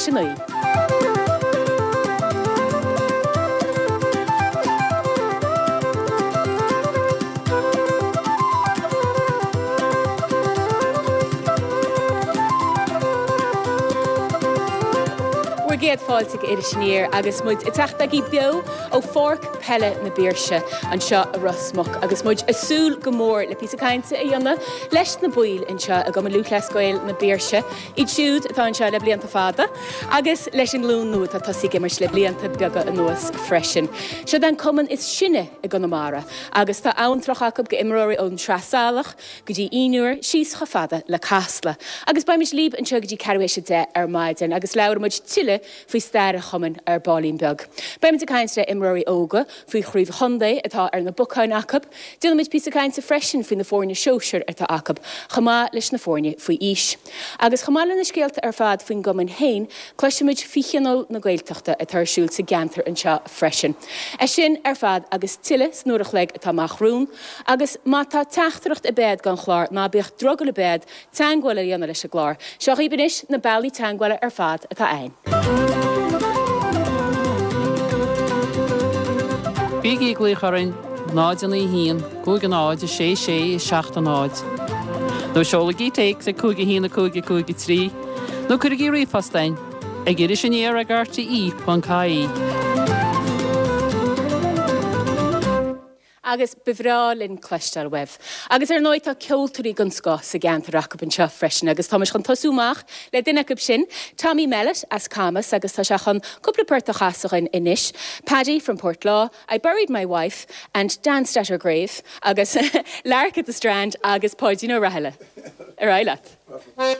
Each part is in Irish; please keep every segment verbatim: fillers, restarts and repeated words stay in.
théis a naoi. Bhur gcéad fáilte go Iris Aniar agus muid ag teacht agaibh beo ó Pháirc Peile na Biirse anseo i Ros Muc agus muid ag súil go mór le píosa cainte a dhéanamh leis na baill anseo i gCumann Lúthchleas Gael na Biirse, iad siúd atá anseo le blianta fada, agus leis an nglúin nua atá tosaithe ag imirt le blianta beaga anuas freisin. Seo an cumann is sine i gConamara agus tá amhantrach acu go imreoirí ón Sraith Salach go dtí Fhionn Úr síos chomh fada le Casla. Agus beimid libh anseo go dtí ceathrú théis a deich ar maidin agus labhróimid tuilleadh faoi stair an chumainn ar baillín beag. Beimid ag caint le imreoirí óga faoi chraobh chontae atá ar na bacáin acu, Déanfaimid píosa cainte freisin faoi na foirne sóisir atá acu, chomh maith leis na foirne faoi aois. Agus chomh maith le na scéalta ar fad faoin gcumann féin, cloisfimid faoi Thionól na Gaeltachta atá ar siúl sa gceantar anseo freisin. É sin ar fad agus tuilleadh san uair a chloig atá amach romhainn, agus má tá teachtaireacht ar bith agat don chlár ná bíodh drogall ar bith ort teagmháil a dhéanamh leis an gclár. Seo dhaoibh anois na bealaí teagmhála ar fad atá ann. Bígí ag glaoch orainn náid a naoi haon, cúig a náid, a sé sé, seacht a náid. Nó seolaigí téacs ag cúig a haon a cúig a cúig a trí, nó cuirigí ríomhphost chugainn ag iris aniar ag RTE ponc ie. Agus ba bhreá linn cloisteáil uaibh. Agus ar ndóigh tá ceoltóirí den scoth sa gceantar acu anseo freisin, agus táimid chun tosú amach le duine acu sin, Tommy Mellett as Camas, agus tá sé chun cúpla port a chasadh dúinn anois. Paddy from Portlaw, I Buried My Wife and Danced at Her Grave, agus Lark at the Strand agus Páidín Ó Rathaille. Ar aghaidh leat. Thank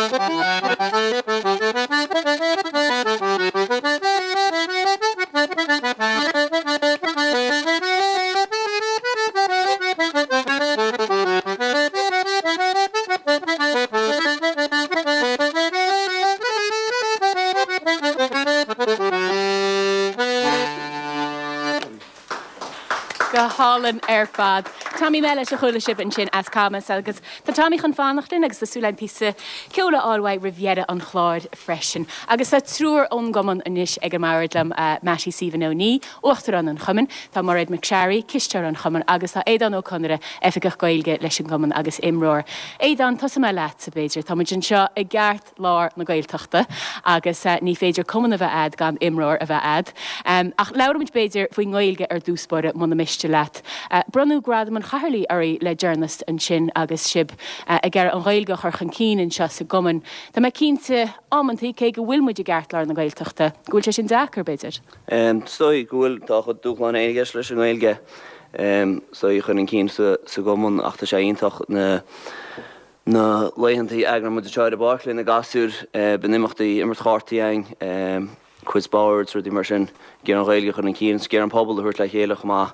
you. hálainn ar fad. Tommy Mellish a chuala sibh ansin as Camas agus tá Tommy chun fanacht linn agus tá súil píosa ceoil a fháil uaidh roimh dheireadh an chláir freisin. Agus tá triúr ón gcumann anois ag an mbord liom uh, Mattie Stephen Ó Ní, Uachtarán an Chumainn, tá Mairéad McSharry, cisteoir an Chumainn agus tá Aodán Ó Conaire oifigeach Gaeilge leis an gcumann agus imreoir. Aodán tosóidh mé leat b'fhéidir, Tá muid anseo i gceartlár na Gaeltachta agus uh, ní féidir cumann a bheith agat gan imreoir a bheith agat. Um, ach labhraímid b'fhéidir faoin nGaeilge ar dtús báire muna miste leat. Uh, Bronnadh gradam an chathaoirligh oraibh le deireanas ansin agus sibh uh, ag iarraidh an Ghaeilge a chur chun cinn anseo sa gcumann. Tá mé cinnte amantaí cé go bhfuil muid i gceartlár na Gaeltachta, go bhfuil sé sin deacair b'fhéidir. Um, Stoi go bhfuil tá chud dúshlán éigeis leis an nGaeilge um, so i chun an cinn sa, sa gcumann ach tá sé iontach na na laethanta a eagraíonn muid anseo i bpáirc le na gasúir uh, bíonn imeachtaí imirt chártaí ann um, quiz boards rudaí mar sin ag iarraidh an Ghaeilge chun an cinn ag iarraidh an pobal a thabhairt le chéile chomh maith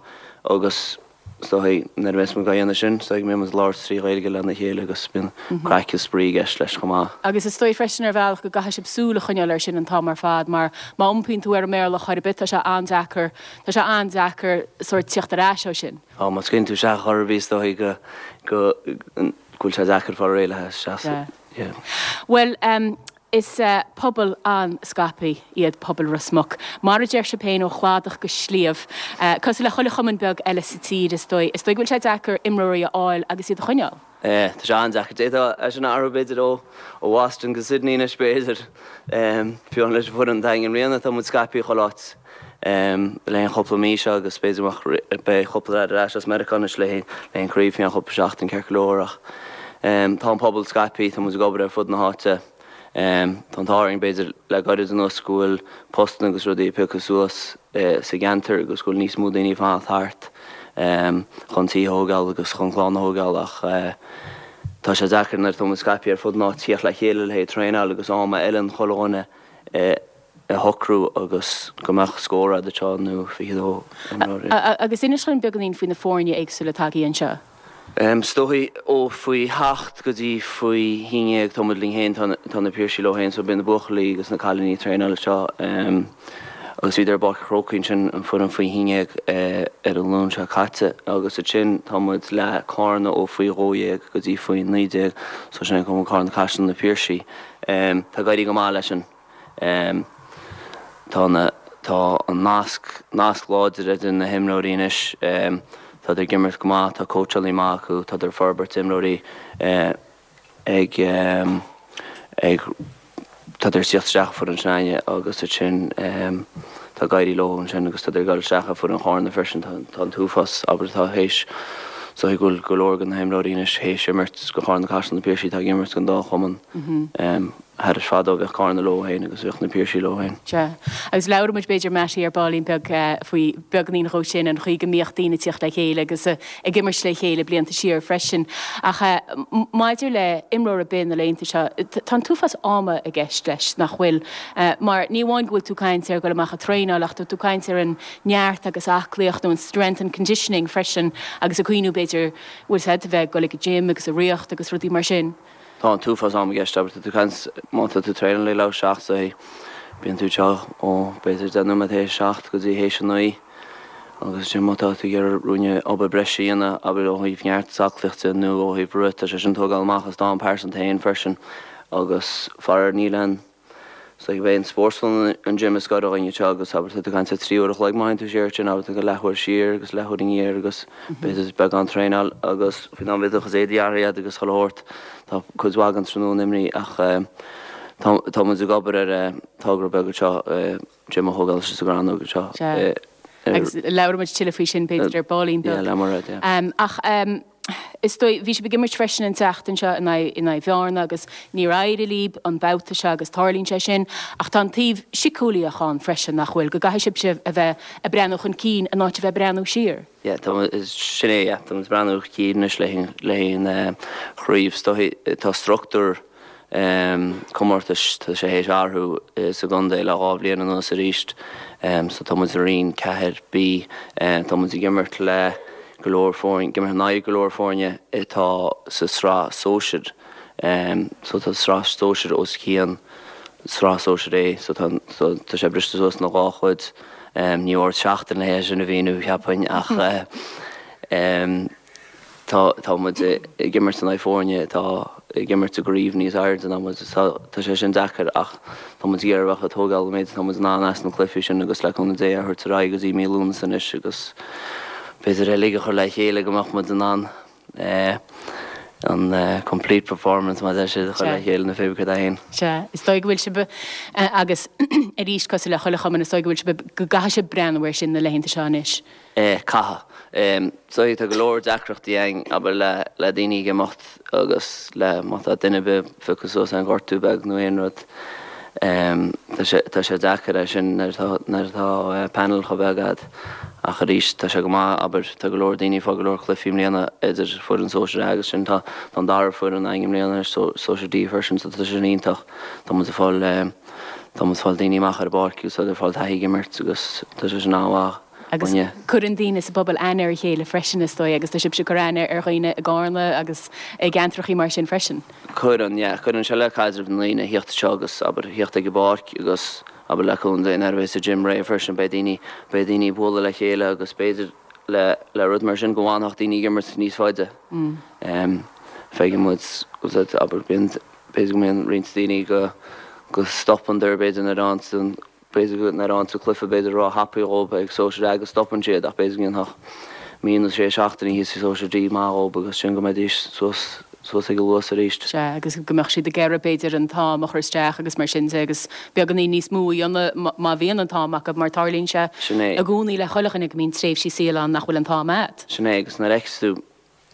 agus so nuair a bhíonn muid á dhéanamh sin so bíonn muid ag labhairt trí Ghaeilge lena chéile agus bíonn craic is spraoi i gceist leis chomh maith. Agus is dóigh freisin ar bhealach go gcaithfidh sibh súil a choinneáil air sin an t-am ar fad, mar má iompaíonn tú ar an mBéarla chor ar bith tá sé an-deacair Tá sé an-deacair sórt teacht ar ais ó sin. Á má scaoileann tú isteach chor ar bith dóigh go go go bhfuil sé deacair fáil réidh le seasamh. Yeah. Well, um, is uh, pobal an-scaipthe iad pobal Ros Muc. Mar a deir sibh féin ó chladach go sliabh, uh, cosúil le chuile chumann beag eile sa tír is dóigh, is dóigh go bhfuil sé deacair imreoirí a fháil agus iad a choinneáil. Eh, Tá sé an-deacair é sin athrú b'fhéidir ó ó Boston go Sydney anois b'fhéidir fiú leis an bhfoireann i mbliana tá muid scaipthe chuile áit le an chúpla mí seo agus b'fhéidir beidh cúpla ar ais as Meiriceá anois le le an craobh an chúpla seachtain ceart go leor ach tá an pobal scaipthe tá muid ag obair ar fud na háite. Um, tá an t-ádh b'fhéidir le gairid anuas go bhfuil postanna agus rudaí pioctha suas uh, sa gceantar agus go bhfuil níos mó daoine fanacht thart um, chun tí a thógáil agus chun clann a thógáil ach uh, tá sé deacair nuair atá muid scaipthe ar fud na tíre le chéile le traenáil agus am a fheileann chuile dhuine uh, a shocrú agus go mbeadh scór de seo nó fiche dó. Agus inis dúinn beagáinín faoi na foirne éagsúla atá anseo. Um, Is dóigh ó faoi hocht go dtí faoi haon déag tá muid linn féin tá na Piarsaigh leo féin so bíonn na buachaillí agus na cailíní traenáil seo um, agus bhí ar Pháirc an Chrócaigh sin an foireann faoi haon déag uh, ar an Luan seo caite agus ansin tá muid le Carna ó faoi dhó dhéag go dtí faoi naoi déag so sin cum Carna Caiseal na Piarsaigh. Um, tá ag éirí go maith leis sin. Um, tá na tá an nasc nasc láidir idir na himreoirí anois um, tá ag imirt go maith tá cóitseálaí maith acu tá ar forbairt imreoirí eh, ag um, ag tá ar sicht isteach foireann s'againne agus sin um, tá ag éirí leo ansin agus tá ar gal isteach foireann Chárna freisin tá an t-uafás abair tá théis so go go leor de na himreoirí anois théis imirt go Carna Caiseal na Piarsaigh tá imirt don dá chumann um, Thar is fadó bheadh Carna leo féin agus bheadh na Piarsaigh leo féin. Sea. Agus labhraímid b'fhéidir Mattie ar baillín beag uh, faoi beagáinín dhó sin an chaoi go mbíodh daoine teacht le chéile agus uh, ag imirt le chéile blianta siar freisin. Ach uh, maidir le imreoir ar bith na laethanta seo, tá an t-uafás ama i gceist leis nach bhfuil. Uh, mar ní amháin go bhfuil tú caint ar go amach ag traenáil ach tú caint ar an neart agus aclaíocht nó an strength and conditioning freisin agus a cuioú b'fhéidir bhfuil sé a bheith go le gym agus a riocht agus rudaí mar sin. Tá an t-uafás ama i gceist abair tú caint má tá tú traenáil le leathuair théis seacht so bíonn tú seo ó b'fhéidir deich nóiméad théis seacht go dtí théis a naoi agus sin má tá tú ar ruúne obair breise a dhéanamh abair ó thaobh neart aclaíochta nó ó thaobh rith sé sin tógáil amach as d'am pearsanta féin freisin agus faraor níl an So bheith an spórtlann an gym is gar againne seo agus abair tú caint trí uair a chloig má tú siar sin abair tú go leathuair siar agus leathuair aniar agus b'fhéidir beagán traenáil agus faoin am bhí chus éadaí athraithe agus chuile shórt tá cuid mhaith den tráthnóna imithe ach tá muid ag obair ar togra beag seo gym a thógáil sa gCrannóg seo. Agus labhróimid tuilleadh faoi sin b'fhéidir ar baillín beag. le mar Ach is dóigh bhí sibh ag imirt freisin an tseachtain seo in aghaidh Bhearna agus níor éirigh libh an babhta seo agus tarlaíonn sé sin ach tá an taobh síceolaíoch ann freisin nach bhfuil go gcaithfidh sibh a bheith ag breathnú chun cinn in áit a bheith breathnú siar. Yeah, sin é tá breathnú chun cinn le le chraobh tá struchtúr um, comórtais tá sé théis athrú sa gcontae le dhá bhliain anuas arís um, so tá muid i roinn ceathair B um, tá muid ag imirt le go leor foirne ag imirt in aghaidh go leor foirne atá sa sraith sóisir um, so tá sraith sóisir os cionn sraith sóisir é so tá so, tá sé briste suas ina dhá chuid um, ní ord seachtain le sin a bhíú cheapainn ach uh, Tá tá muid ag imirt in aghaidh foirne atá ag imirt i gcraobh níos airde ná muid so tá sé sin deacair ach tá muid ag iarraidh a bheith ag tógáil an méid atá muid in ann as na cluichí sin agus le cúnamh Dé a thabhairt ar aghaidh go dtí mí Lúnasa anois agus b'fhéidir uilig a chur le chéile go mbeadh muid in ann an complete performance mar a deir siad a chur le chéile nó pé cad é féin. Sea, is dóigh go bhfuil sibh agus arís cosúil le chuile chumann is dóigh go bhfuil sibh go gcaithfidh sibh breathnú air sin na laethanta seo anois. Caithfidh. So tá go leor deacrachtaí ann, abair, le le daoine ag imeacht agus le má tá duine ar bith pioctha suas aon ghortú beag nó aon rud. Tá sé tá sé deacair é sin nuair atá nuair atá panel chomh beag agat. Ach arís tá sé go maith, abair, tá go leor daoine ag fáil go leor cluichí i mbliana idir foireann sóisir A agus sin tá tá an dara foireann againn i mbliana anois, sóisir D freisin so tá sé sin iontach. Tá muid ag fáil tá muid ag fáil daoine amach ar an bpáirc agus tá ag fáil taithí ag imirt agus tá sé sin an-mhaith. Agus cuireann daoine sa bpobal aithne ar a chéile freisin, is dóigh, agus tá sibhse ag cur aithne ar dhaoine i gCarna agus i gceantrachaí mar sin freisin. Cuireann, yeah. Cuireann sé le caidreamh na ndaoine a thíocht anseo agus, abair, a thíocht ag an bpáirc agus, abair, le cúnamh Dé nuair a bheas sa gym réidh freisin, beidh daoine, beidh daoine ag bualadh le chéile agus b'fhéidir le, le rud mar sin go bhfanfadh daoine ag imirt níos faide. Feicfidh muid, abair, bíonn, b'fhéidir go mbíonn roinnt daoine go, go stopann dar b'fhéidir nuair a fhaigheann an, B'fhéidir go nuair a fhaigheann tú cluiche b'fhéidir ró-thapaidh dhób ag Sóisear A go stopann siad ach b'fhéidir go ndéanfadh mí nó sé seachtainí thíos i Sóisear D maith dhób agus sin go mbeidís suas suas ag an luas arís. Sea, agus go mbeadh siad ag iarraidh b'fhéidir an t-am a chur isteach agus mar sin de agus beagáinín níos mó a dhéanamh má bhíonn an t-am acu mar tarlaíonn sé Sin é. i gcónaí le chuile dhuine go mbíonn tréimhsí saoil ann nach bhfuil an t-am a'd. Sin é agus nuair a fheiceas tú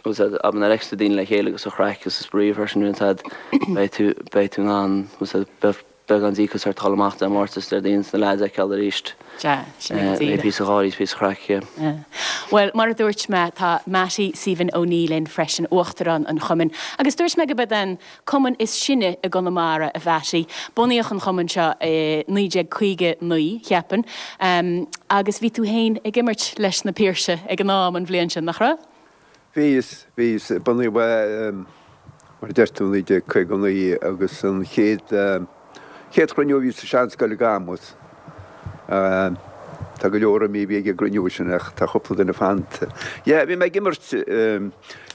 agus abair nuair a fheiceas tú daoine le chéile agus an chraic agus an spraoi freisin bíonn siad beidh tú beidh tú in ann beidh beagán díocas ort dul amach Dé Máirt is Déardaoin is na leaids a fheiceáil arís. Sea, sin é go Beidh díreach. píosa gáirí is píosa craic, yeah. Yeah. Bhuel, mar a dúirt mé, tá Mattie Stephen O'Neill linn freisin, Uachtarán an Chumainn. Agus dúirt mé go b'é an cumann is sine i gConamara, a Mhattie. Bunaíodh an cumann seo i naoi déag caoga naoi, cheapfainn. Agus bhí tú féin ag imirt leis na Piarsaigh ag an am, an bhliain sin, nach raibh? Bhíos, bhíos. Bunaíodh é, mar a deir tú, naoi déag caoga naoi agus an chéad, chéad chruinniú a bhí sa seanscoil i gCamus. Tá go leor imithe a bhí ag an gcruinniú sin ach tá cúpla duine fanta. Yeah, bhí mé ag imirt,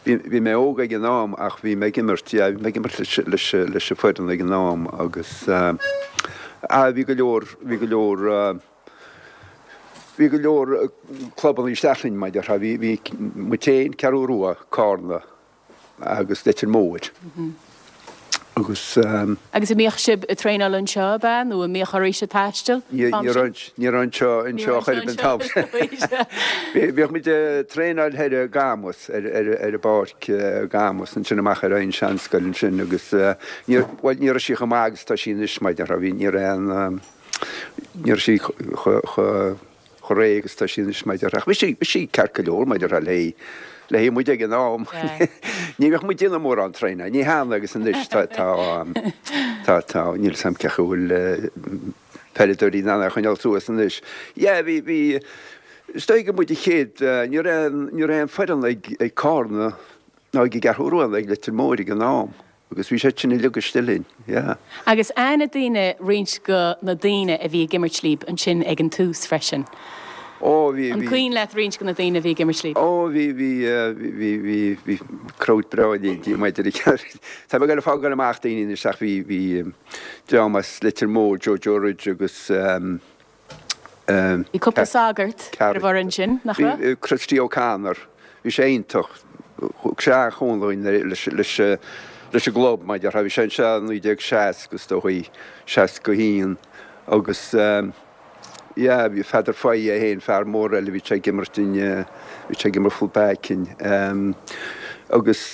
bhí, bhí mé óg ag an am ach bhí mé ag imirt, yeah, bhí mé ag imirt leis, leis, leis an foireann ag an am agus, ah, bhí go leor, bhí go leor, Bhí go leor clubanna isteach linn, mar a déarfá. Bhí, bhí muid féin, Ceathrú Rua, Cárna agus Leitir Móir. Agus. Agus an mbíodh sibh ag traenáil anseo, ab ea? Nó an mbíodh oraibhse taisteal an t-am sin? Ní raibh anseo, anseo chor ar bith an t-am sin. Bhíodh muid ag traenáil thoir i gCamus, ar, ar, ar an bpáirc i gCamus, ansin amach ar an seanscoil ansin agus ní, bhuel ní raibh sí chomh maith agus atá sí anois, mar a déarfá. Bhí, ní raibh aon, Ní raibh sí chomh réidh agus atá sí anois mar a déarfá. Ach bhí sí, bhí sí ceart go leor mar a déarfá le le haghaidh muid ag an am. Ní bheadh muid ag déanamh mórán traenáil. Ní cheana agus anois tá, tá, tá, tá, níl 'fhios a'm cén chaoi a bhfuil peileadóirí in ann é a choinneáil suas anois. Yeah, bhí, bhí, is dóigh gur muid an chéad, ní raibh, ní raibh aon foireann ag, ag Cárna ná ag an gCeathrú Rua ná ag Leitir Móir ag an am. Agus bhí siad sin uilig istigh linn, yeah. Agus aithne daoine roinnt go na daoine a bhí ag imirt líb ansin ag an tús freisin. Ó, bhí, An bhí. cuimhin leat roinnt go na daoine a bhí ag imirt líb? Ó, bhí, bhí, bhí, bhí, bhí crowd breá linn, Dia maidir le Tá mé ag goil ag fágáil amach daoine anois ach bhí, bhí dream as Leitir Móir, Joe Joe Ridge agus eh, Bhí cúpla sagart ar an bhfoireann sin, nach raibh? Bhí Christy O'Connor, bhí sé iontach, thug sé an-chúnamh dúinn leis an gclub, mar a déarfá, bhí sé anseo i naoi déag seasca is dóigh, seasca a haon agus yeah, bhí Pheadar Fahy é féin, fear mór eile, bhí sé ag imirt in, bhí sé ag imirt full back in agus.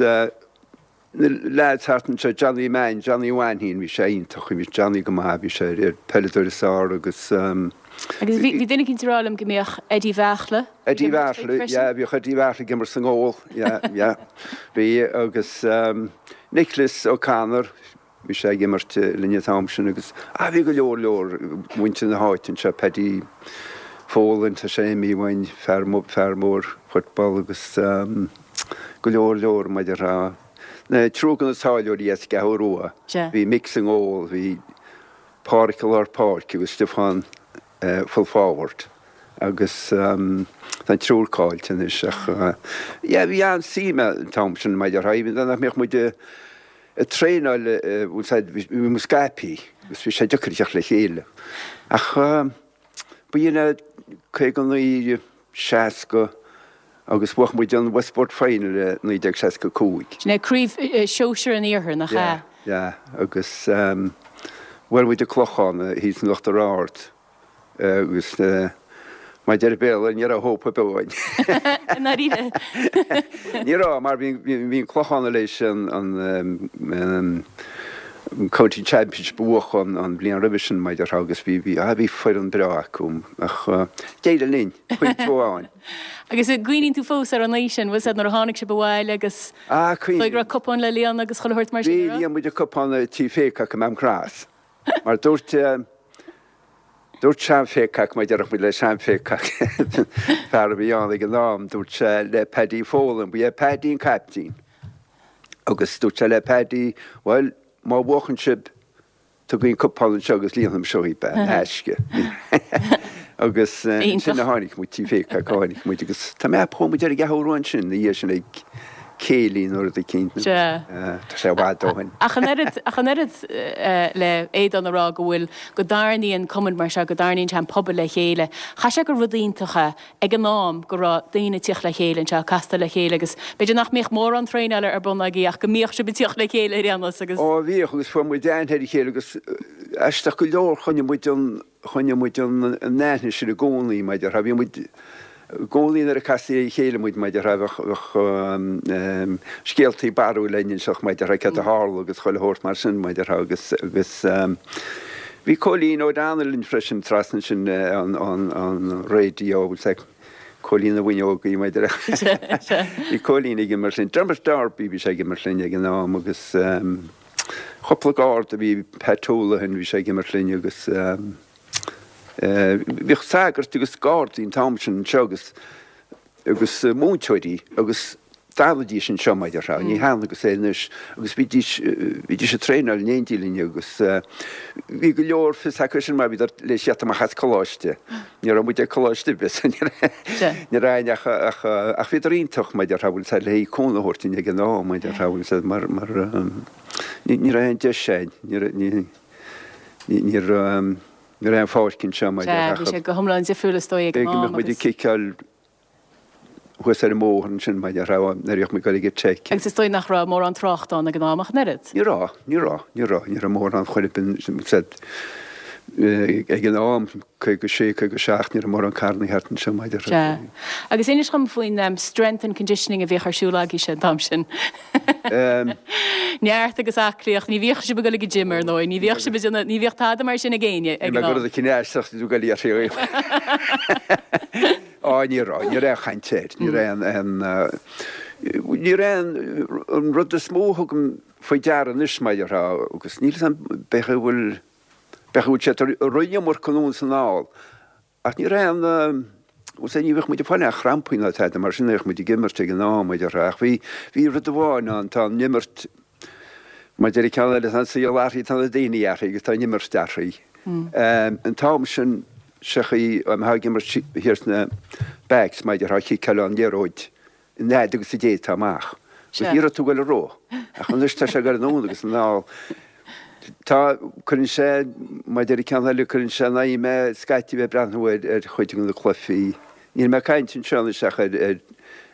Na leaids thart anseo, Johnny Mann, Johnny Mhainnín, bhí sé iontach, bhí Johnny go maith, bhí sé ar peileadóir is fearr agus. Agus bhí bhí duine eicínt ag rá liom go mbíodh Eddie Bheartla ag Eddie imirt linn Bheartla, freisin. yeah, bhíodh Eddie Bheartla ag imirt sa ngól, yeah, yeah, bhí agus Nicholas O'Connor, bhí sé ag imirt linn an t-am sin agus ah bhí go leor leor muintir na háite anseo, Paddy Folan, tá sé imithe uainn, fear fear mór football agus go leor leor mar a déarfá. Na triúr de na táilliúirí as an gCeathrú Rua, bhí Mick sa ngól, bhí Páraic i lár páirce agus Stiofán full forward Agus tá an triúr caillte anois ach yeah bhí an-suim an t-am sin mar a déarfá, even nach mbeadh muid ag traenáil bhfuil 's a'd bhí muid scaipthe agus bhí sé deacair teacht le chéile. Ach ba in caoga naoi, seasca agus bhuaigh muid an Westport Final i naoi déag seasca cúig. Sin é craobh sóisir an Iarthair, nach ea? Yeah, yeah agus bhuail muid an Clochán thíos in Uachtar Ard. Agus mar a deir an Béarla, ní raibh hope ar bith againn. I ndáiríre? Ní raibh, mar bhí an Clochán tar éis an County Championship a bhuachan an bhliain roimhe sin, mar a déarfá, agus bhí, bhí, bhí foireann breá acu. Ach d'éirigh linn, pointe amháin. Agus an gcuimhníonn tú fós ar an oíche sin, bhfuil 's a'd nuair a tháinig sibh abhaile agus go raibh cupán le líonadh agus chuile shórt mar sin, Bhí, líon muid an cupán i Tí Pheacock i Maam Cross. Mar dúirt, Dúirt Seán Pheacock, mar a déarfadh muid le Seán Pheacock, fear a bhí ann ag an am, dúirt sé le Paddy Folan, ba é Paddy an caiptín, agus dúirt sé le Paddy, bhuel, má bhuachann sibh, tugaigí an cupán anseo agus líonfaidh mise dhaoibh é, in aisce. Agus ansin a tháinig muid, Tí Pheacock a tháinig muid agus tá mé ag ceapadh chuaigh muid ar an gCeathrú Rua ansin, ina dhiaidh sin ag céilí nó rud eicínt. Sea. Tá sé i bhfad ó shin. Ach an oiread, ach an oiread le Aodán a rá go bhfuil, go dtarraingíonn cumann mar seo, go dtarraingíonn sé an pobal le chéile. Chaithfeadh sé gur rud iontach é ag an am go raibh daoine ag tíocht le chéile anseo, ag castáil le chéile agus b'fhéidir nach mbíodh mórán traenála ar bun agaibh ach go mbíodh sibh ag tíocht le chéile ar aon nós agus. Ó bhíodh agus fuair muid aithne ar a chéile agus aisteach go leor choinnigh muid an, choinnigh muid an aithne sin i gcónaí mar a déarfá. Bhí muid i gcónaí nuair a castaí ar a chéile muid mar a déarfá bheadh scéaltaí barrúil le n-inseacht mar a déarfá céard a tharla agus chuile shórt mar sin mar a déarfá agus agus bhí Cóilín O'Donnell linn freisin trasna sin an an raidió bhfuil 's a'd Cóilín na bhFuinneogaí mar a déarfá. Bhí Cóilín ag imirt linn, Dermot Darby bhí sé ag imirt linn ag an am agus cúpla garda bhí Pat Holohan bhí sé ag imirt linn agus Bhíodh sagairt agus gardaí an t-am sin anseo agus agus múinteoirí agus d'fhanaidís anseo mar a déarfá, ní hionann agus é anois agus bhídís bhídís ag traenáil in éindí linn agus bhí go leor fios acu sin mar bhíodar le theacht amach as coláiste. Ní raibh muid ag coláiste ar bith so ní raibh aon ach ach ach bhíodar iontach mar a déarfá bhfuil 's a'd le haghaidh cúnamh a thabhairt dúinn ag an am mar a déarfá bhfuil 's a'd mar mar ní ní raibh aon deis againn ní raibh ní ní raibh Ní raibh aon pháirc anseo mar Sea, bhí sé go hiomlán difriúil is dóigh ag an am agus. B'fhéidir go mbeadh muid ag ciceáil thuas ar an mbóthar ansin mar a déarfá nuair a bhíodh muid ag dul ag an Tech. Agus is dóigh nach raibh mórán tráchta ann ag an am ach an oiread. Ní raibh, ní raibh, ní raibh, ní raibh mórán chor ar bith ag an am, caoga sé, caoga seacht, ní raibh mórán carrannaí thart anseo mar a déarfá. Sea. Agus inis dhom faoin strength and conditioning a bhíodh ar siúl agaibhse an t-am sin. Neart agus aclaíocht, ní bhíodh sibh ag dul ag an gym ar ndóigh, ní bhíodh sibh ag déanamh, ní bhíodh tada mar sin ag éinne ag Ní an am. rud eicínt aisteach tú ag dul iarraidh Á ní raibh, ní raibh aon chaint air, ní raibh aon, aon, ní raibh aon, an rud is mó a thugaim faoi deara anois mar a déarfá agus níl 'fhios a'm b'fhéidir go bhfuil, b'fhéidir go bhfuil sé ró-iomarca anonn is anall Ach ní raibh aon, bhfuil 's a'd, ní bheadh muid ag fáil aon chrampaí ná tada mar sin, bheadh muid ag imirt ag an am, mar a déarfá. Ach bhí, bhí rud amháin ann, tá an imirt, mar deir an ceann eile, tá an saol athraithe, tá na daoine athraithe agus tá an imirt athraithe. An t-am sin, sé chaoi, a mbeifeá ag imirt thiar sna backs, mar a déarfá, chiceáil an liathróid an fhad agus a d'fhéadfá amach. Agus ní raibh tú ag dul a rith. Ach anois tá sé ag dul anonn agus anall. Tá, cuireann sé, mar deir an ceann eile, cuireann sé in aghaidh mé scaití bheith ag breathnú ar ar chuid de na cluichí. Níl mé ag caint anseo anois ach ar ar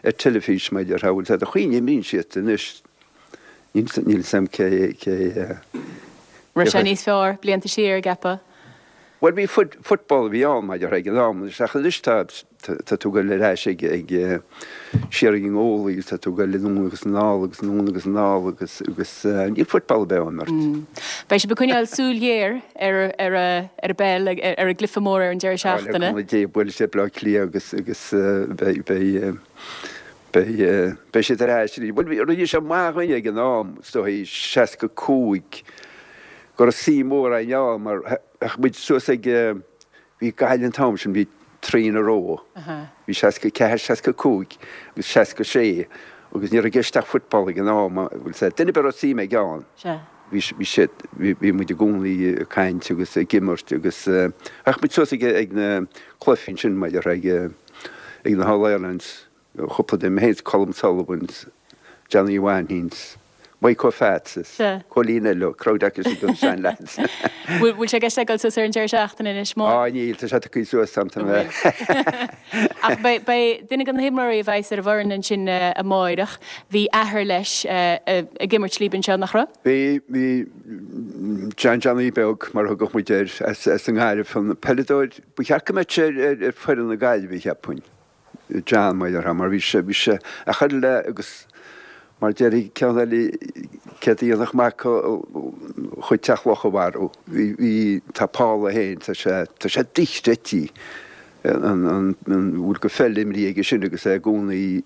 ar teilifís mar a déarfá, bhfuil 's a'd, an chaoi a n-imríonn siad anois, níl níl 's a'm cé cé Raibh sé níos fearr blianta siar, an gceapfá? Bhuel bhí football a bhí ann mar a déarfá ag an am anois ach anois tá tá tú ag dul ar ais ag ag siar ag an ngólaí agus tá tú ag dul anonn agus anall agus anonn agus anall agus agus níl football ar bith á imirt. Beidh sibh ag coinneáil súil ghéar ar ar ar an bpeil ar an gcluiche mór ar an deireadh Á le seachtaine. cúnamh Dé buailfidh siad Bleá Cliath agus agus beidh beidh beidh beidh siad ar ais arís. Bhuel rinne sé maith dhúinn ag an am is dóigh seasca cúig go raibh suim mhór againn ann mar Bheadh muid suas ag, bhí Gaillimh an t-am sin, bhí trí in a row, bhí seasca ceathair, seasca cúig agus seasca sé agus ní raibh i gceist ach football ag an am, bhfuil 's a'd, duine ar bith a raibh suim aige ann, bhí bhí siad bhí muid i gcónaí ag caint agus ag imirt agus ach muid suas ag ag na cluichí ansin mar a déarfá ag ag na All Irelands cúpla de mé féin Colm Sullivan Johnny Wahins Mike O'Fats is Cóilín eile crowd acu sin don sean lads. Bhfuil sé i gceist ag dul suas ar an deireadh seachtaine anois mó? Á níl, tá sé tagtha suas am tá mé. Ach beidh duine de na himreoirí a bheas ar an bhfoireann ansin amáireach, bhí athair leis ag imirt libh anseo, nach raibh? Bhí, bhí John Johnny Beag, mar a thugadh muid air, as an nGaillimh, an peileadóir, ba cheart go mbeadh sé ar foireann na Gaillimhe, cheapfainn. John, mar a déarfá, mar bhí sé, bhí sé a chur le agus mar déarfaidh ceann eile céard a dhéanfadh mac chuid Teach Locha a mharú. Bhí, bhí, tá Paul é féin, tá sé, tá sé dochreidte an, an, an bhfuil go pheil imrithe aige sin agus é i gcónaí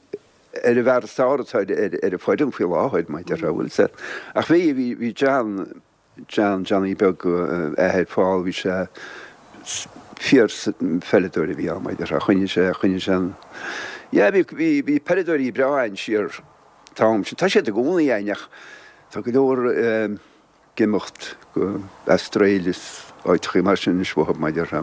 ar an bhfear is fearr atá ar, ar, ar an bhfoireann faoi láthair, mar a déarfá, bhfuil sé. Ach bhí, bhí, bhí John, John, Johnny Beag, athair Paul, bhí sé fíor pheileadóir a bhí ann, mar a déarfá, choinnigh sé, choinnigh sé an, yeah, bhí, bhí, bhí peileadóirí breá ann siar an t-am sin. Tá siad i gcónaí ann ach tá go leor ag imeacht go Astráil is áiteachaí mar sin anois uathu, mar a déarfá.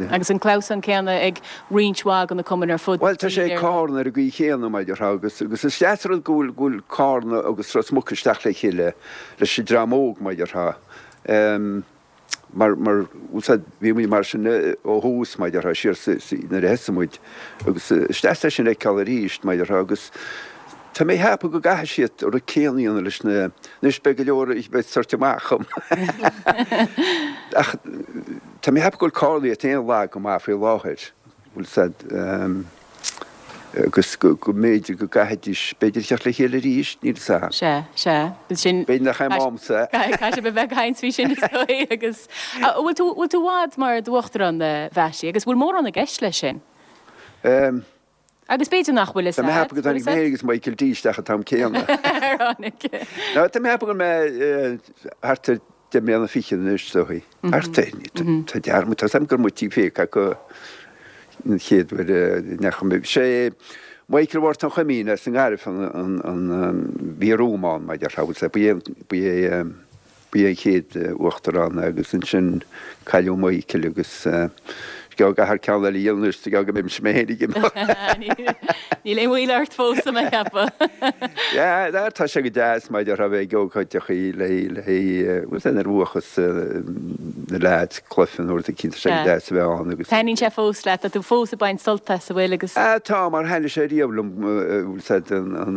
Agus an clamhsán céanna ag roinnt mhaith de na cumainn ar fud Bhuel, tá sé ag Carna ar an gcaoi chéanna, mar a déarfá, agus, agus is deas an rud go bhfuil, go bhfuil Carna agus Ros Muc isteach le chéile leis an dream óg, mar a déarfá. Mar, mar, bhfuil 's a'd, bhí muid mar sin ó thús, mar a déarfá, siar sa, sa, nuair a thosaigh muid agus is deas é sin a fheiceáil arís, mar a déarfá, agus tá mé ag ceapadh go gcaithfidh siad an rud céanna a dhéanamh leis na, anois beidh go leor a bheidh ag tabhairt amach dhom ach tá mé ag ceapadh go bhfuil Carna iad féin lag go maith faoi láthair, bhfuil 's a'd. Agus go mb'fhéidir go gcaithfidís, b'fhéidir, teacht le chéile arís, níl 'fhios a'm. Sea, sea. Sin. B'fhéidir nach é m'amsa. Caithfidh sibh a bheith ag caint faoi sin is dóigh agus. Bhfuil tú, bhfuil tú i bhfad mar d'uachtarán, a Mhattie, agus bhfuil mórán i gceist leis sin? Em. Agus b'fhéidir nach bhfuil fhios Tá mé a'd, ag ceapadh go dtáinig mé féin agus Michael D isteach an t-am céanna. Ar tháinig? No, tá mé ag ceapadh go bhfuil mé thart ar deich mbliana fichead anois, is dóigh. Thart air, tá dearmad, tá 'fhios a'm gur muid tí féach acu. an chéad uair a ndeachaigh mé. Sé Michael Mhártain Uí Chuimín as an nGaillimh an an bhí romham ann mar a déarfá bhuel ba é ba é ba é an chéad uachtarán agus ansin cailleadh Michael agus is gearr go gcaithfear ceann eile a dhéanamh anois is gearr go mbeimse mé féin ag imeacht. Níl aon mhoill ort fós tá mé ag ceapadh. Yeah, tá sé go deas mar a déarfá bheith ag ócáideachaí le le bhuel nuair a bhuachas na leaids cluiche nó rud eicínt tá sé go deas a bheith ann agus. Taitníonn sé fós leat, tá tú fós ag baint sult as, an bhfuil agus. Ah tá, mar thaitnigh sé riamh liom bhfuil 's a'd an an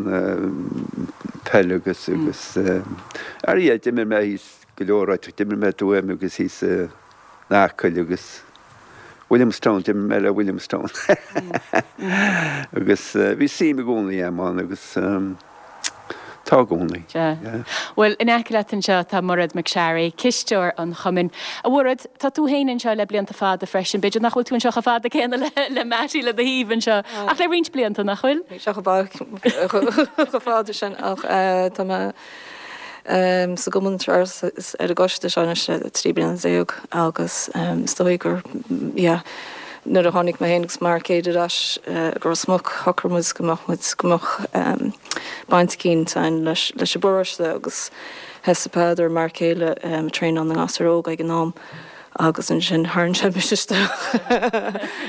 peil agus agus ar yeah d'imir mé thíos go leor áiteacha, d'imir mé i dTuaim agus thíos in Acaill agus Williamstown, d'imir mé le Williamstown agus bhí suim i gcónaí a'm ann agus tá i gcónaí. Sea. Bhuel, in aice leat anseo tá Mairéad McSharry, cisteoir an chumainn. A Mhairéad, tá tú féin anseo le blianta fada freisin. B'fhéidir nach bhfuil tú anseo chomh fada céanna le Mattie le do thaobh anseo, ach le roinnt blianta, nach bhfuil? Níl sé chomh fada sin ach tá mé sa gcumann seo ar an gcoiste seo anois le trí bliana déag agus is dóigh gur, yeah, nuair a tháinig mé féin agus m'fhear céile ar ais go Ros Muc shocraigh muid go mbeadh muid, go mbeadh baint eicínt againn leis leis an bparóiste agus thosaigh Peadar, m'fhear céile, ag traenáil na ngasúr óg ag an am. Agus ansin tharraing sé mise isteach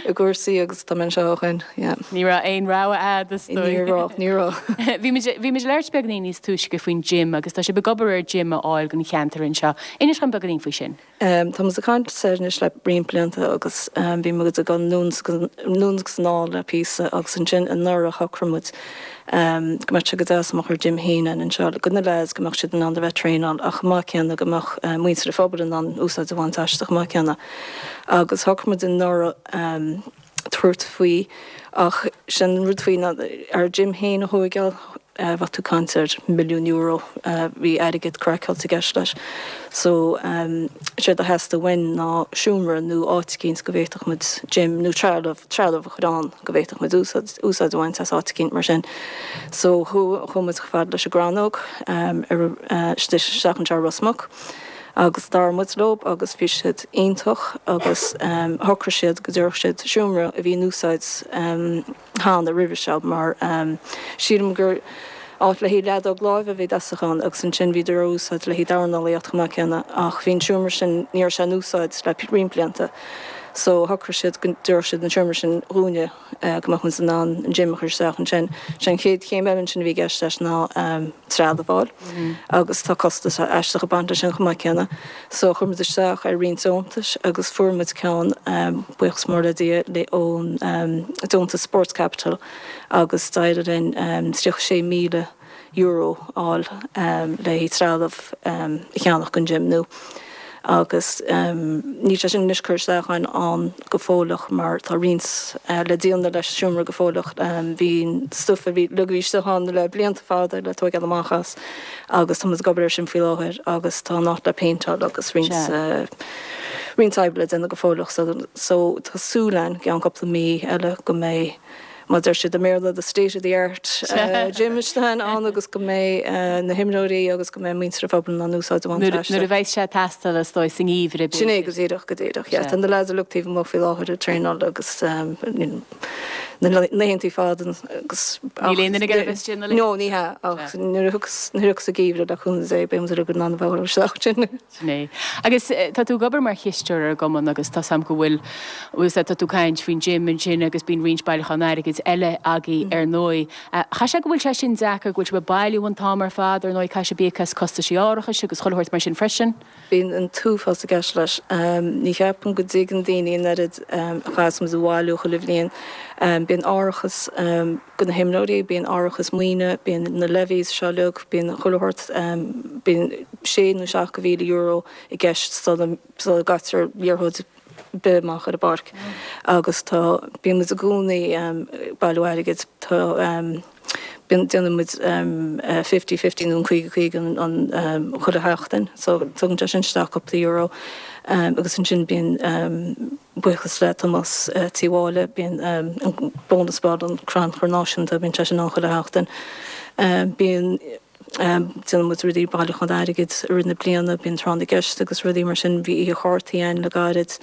i gcúrsaí agus tá mé anseo ó shin, yeah. Ní raibh aon rogha a'd, is dóigh. Ní raibh, ní raibh. Bhí muid, bhí muid ag labhairt beagáinín níos túisce faoin gym agus tá sibh ag obair ar gym a fháil don cheantar anseo. Inis dhom beagáinín faoi sin. Tá muid ag caint air anois le roinnt blianta agus bhí muid ag dul anonn anonn agus anall le píosa agus ansin anuraidh shocraigh muid go mbeadh sé go deas dá mbeadh ár gym féin againn anseo do na leaids go mbeadh siad in ann a bheith ag traenáil ach chomh maith céanna go mbeadh muintir an phobail in ann úsáid a bhaint aisti chomh maith céanna. Agus shocraigh muid anuraidh tabhairt faoi ach sin an rud faoi ná ár gym féin a thóigeáil bheadh tú ag caint ar milliún euro bhí airgead craiceáilte i gceist leis. So séard a theastaigh uainn ná seomra nó áit eicínt go bhféadfadh muid gym nó trealamh, trealamh a chur ann go bhféadfadh muid úsáid, úsáid a bhaint as áit eicínt mar sin. So chuaigh muid chomh fada leis an gCrannóg ar isteach anseo i Ros Muc agus labhair muid leo agus bhí siad iontach agus shocraigh siad go dtabharfadh siad seomra a bhí in úsáid cheana roimhe seo mar sílim gur Áit le haghaidh leadóg láimhe a bhí i dtosach ann agus ansin bhíodar á úsáid le haghaidh dornálaíocht chomh maith céanna ach bhí an seomra sin, ní raibh sé in úsáid le roinnt blianta so shocraigh siad go dtabharfadh siad an seomra sin dhúinne go mbeadh muid in ann an gym a chur isteach ansin. Sé an chéad chéim eile ansin a bhí i gceist leis ná trealamh a fháil agus tá costas aisteach ag baint leis sin chomh maith céanna so chuir muid isteach ar roinnt deontais agus fuair muid ceann, buíochas mór le Dia, le ón deontas Sports Capital agus d'éirigh linn tríocha sé míle euro a fháil le haghaidh trealamh a cheannach don gym nua agus níl sé sin anois curtha isteach againn ann go fóilleach mar tá roinnt le déanamh leis an seomra go fóilleach. Bhí an stuif a bhí uilig a bhí istigh ann le blianta fada le tóigeáil amach as agus tá muid ag obair air sin faoi láthair agus tá an áit le péinteáil agus roinnt roinnt oibre le déanamh go fóilleach so tá súil againn i gceann cúpla mí eile go mbeidh mar a deir siad i mBéarla, the state of the art gym istigh ann agus go mbeidh na himreoirí agus go mbeidh muintir an phobail in ann úsáid a bhaint aisti. Nuair a bheidh sé ag teastáil is dóigh sa ngeimhreadh b'fhéidir. Sin é go díreach, go díreach, yeah. Tá na lads uilig taobh amuigh faoi láthair ag traenáil agus na laethantaí fada agus. Níl aon duine ag iarraidh a bheith istigh ina luí. No, ní hea, ach nuair a thiocfas, nuair a thiocfas an geimhreadh le cúnamh Dé beidh muid uilig in ann a bheith isteach ansin. Sin é. Agus tá tú ag obair mar chisteoir ar an gcumann agus tá 's a'm go bhfuil, bhfuil 's tá tú ag caint faoin gym ansin agus bíonn roinnt bailiúchán airgid eile agaibh ar ndóigh. Chaithfeadh sé go bhfuil sé sin deacair, go bhfuil sibh ag bailiú an t-am ar fad, ar ndóigh caithfidh sibh íoc as costaisí árachais agus chuile shórt mar sin freisin. Bíonn an t-uafás i gceist leis. Ní cheapaim go dtuigeann daoine an oiread a chaitheas muid a bhailiú chuile bhliain. Bíonn árachas do na himreoirí, bíonn árachas maoine, bíonn na levies seo uilig, bíonn chuile shórt, bíonn sé nó seacht de mhíle euro i gceist sula gcaitear liathróid ar bith amach ar an bpáirc agus tá, bíonn muid i gcónaí ag bailiú airgid, tá, bíonn, déanann muid fifty fifty nó an caoga caoga an chuile sheachtain so tugann sé sin isteach cúpla euro agus ansin bíonn buíochas le Tomás Tí Mháille, bíonn an bonus ball, an crannchur náisiúnta, bíonn sé sin ann chuile sheachtain. Bíonn, déanann muid rudaí, bailiúchán airgid i rith na bliana, bíonn tráth na gceist agus rudaí mar sin, bhí oíche chártaí ann le gairid,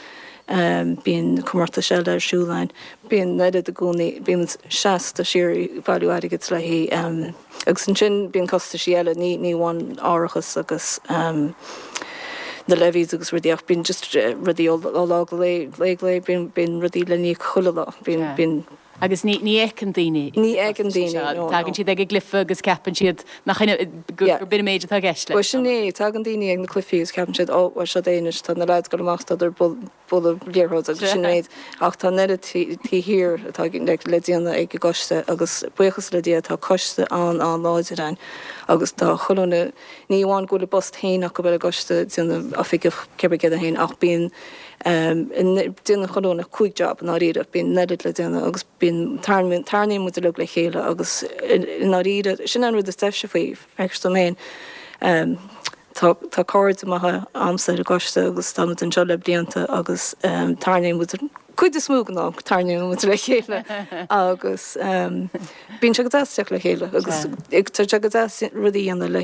bíonn comórtais eile ar siúl ann. Bíonn an oiread i gcónaí, bíonn muid seasta síoraí ag bailiú airgid le haghaidh, agus ansin bíonn costaisí eile, ní ní amháin árachas agus na levies agus rudaí ach bíonn just rudaí ó lá go lae, lae go lae, bíonn bíonn rudaí le n-íoc chuile lá, bíonn bíonn. Agus ní ní fheiceann daoine Ní fheiceann daoine, no, no. Tagann siad ag an gcluiche agus ceapann siad nach in go Yeah. gur b'in an méid atá i gceist leis. Bhuel sin é, tagann daoine ag na cluichí agus ceapann siad, ó, bhuel seo é anois, tá na lads ag dul amach, tá siad ag bualadh liathróid agus sin an méid. Ach tá an oiread taobh thiar atá le déanamh ag an gcoiste agus buíochas le Dia tá coiste an-an-láidir ann agus tá chuile dhuine, ní amháin go bhfuil a bpost féin acu ar an gcoiste, déanamh oifigeach cibé céard é féin ach bíonn déanann chuile dhuine cúig job i ndáiríre, bíonn an oiread le déanamh agus bíonn, tarraingíonn muid uilig le chéile agus i ndáiríre, sin an rud is deise faoi, feictear dom féin. Tá tá cairde maithe a'msa ar an gcoiste agus tá muid anseo le blianta agus tarraingíonn muid cuid is mó den am tarraingíonn muid le chéile agus bíonn sé go deas teacht le chéile agus tá sé go deas rudaí a dhéanamh le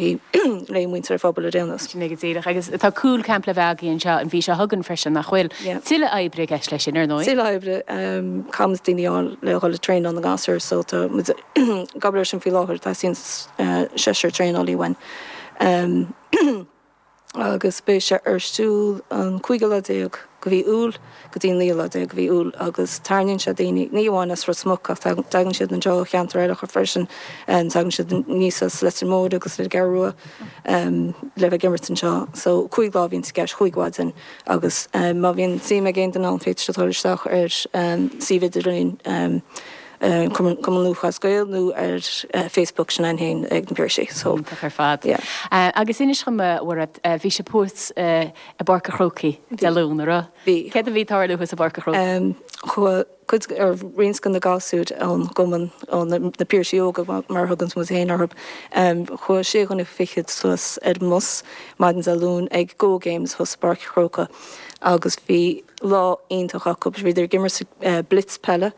le muintir an phobail ar aon nós. Sin é go díreach. Agus tá Cúl Camp le bheith agaibh anseo an mhí seo chugainn freisin, nach bhfuil? Yeah. Tuilleadh oibre i gceist leis sin, ar ndóigh. Tuilleadh oibre, caithfidh muid daoine a fháil le dhul ag traenáil na ngasúr so tá muid ag obair air sin faoi láthair, teastaíonn seisear traenálaí uainn. Agus beidh sé ar siúl an cúigiú lá déag de mhí Iúil go dtí an naoú lá déag de mhí Iúil agus tarraingíonn sé daoine, ní amháin as Ros Muc ach tagann siad anseo ó cheantair eile freisin, tagann siad aníos as Leitir Móir agus an Cheathrú Rua le bheith ag imirt anseo. So cúig lá a bhíonns i gceist, chúig mhaidin agus má bhíonn suim ag aon duine ann féadfaidh siad dul isteach ar suíomh idirlín Cumann Lúthchleas Gael nó ar Facebook sin againn féin ag na Piarsaigh so Iontach ar fad. yeah. Agus inis dhom a Mhairéad, bhí sibh thuas i bPáirc a' Chrócaigh Dé Luain, an raibh? Bhí. Céard a bhí ag tarlú thuas i bPáirc a' Chrócaigh? Chuaigh cuid ar roinnt de na gasúir ón gcumann, ó na Piarsaigh Óga mar a thuganns muid féin orthu, chuaigh sé dhuine fichead suas ar an mbus maidin Dé Luain ag Go Games thuas i bPáirc a' Chrócaigh agus bhí lá iontach acu. Bhíodar ag imirt blitz peile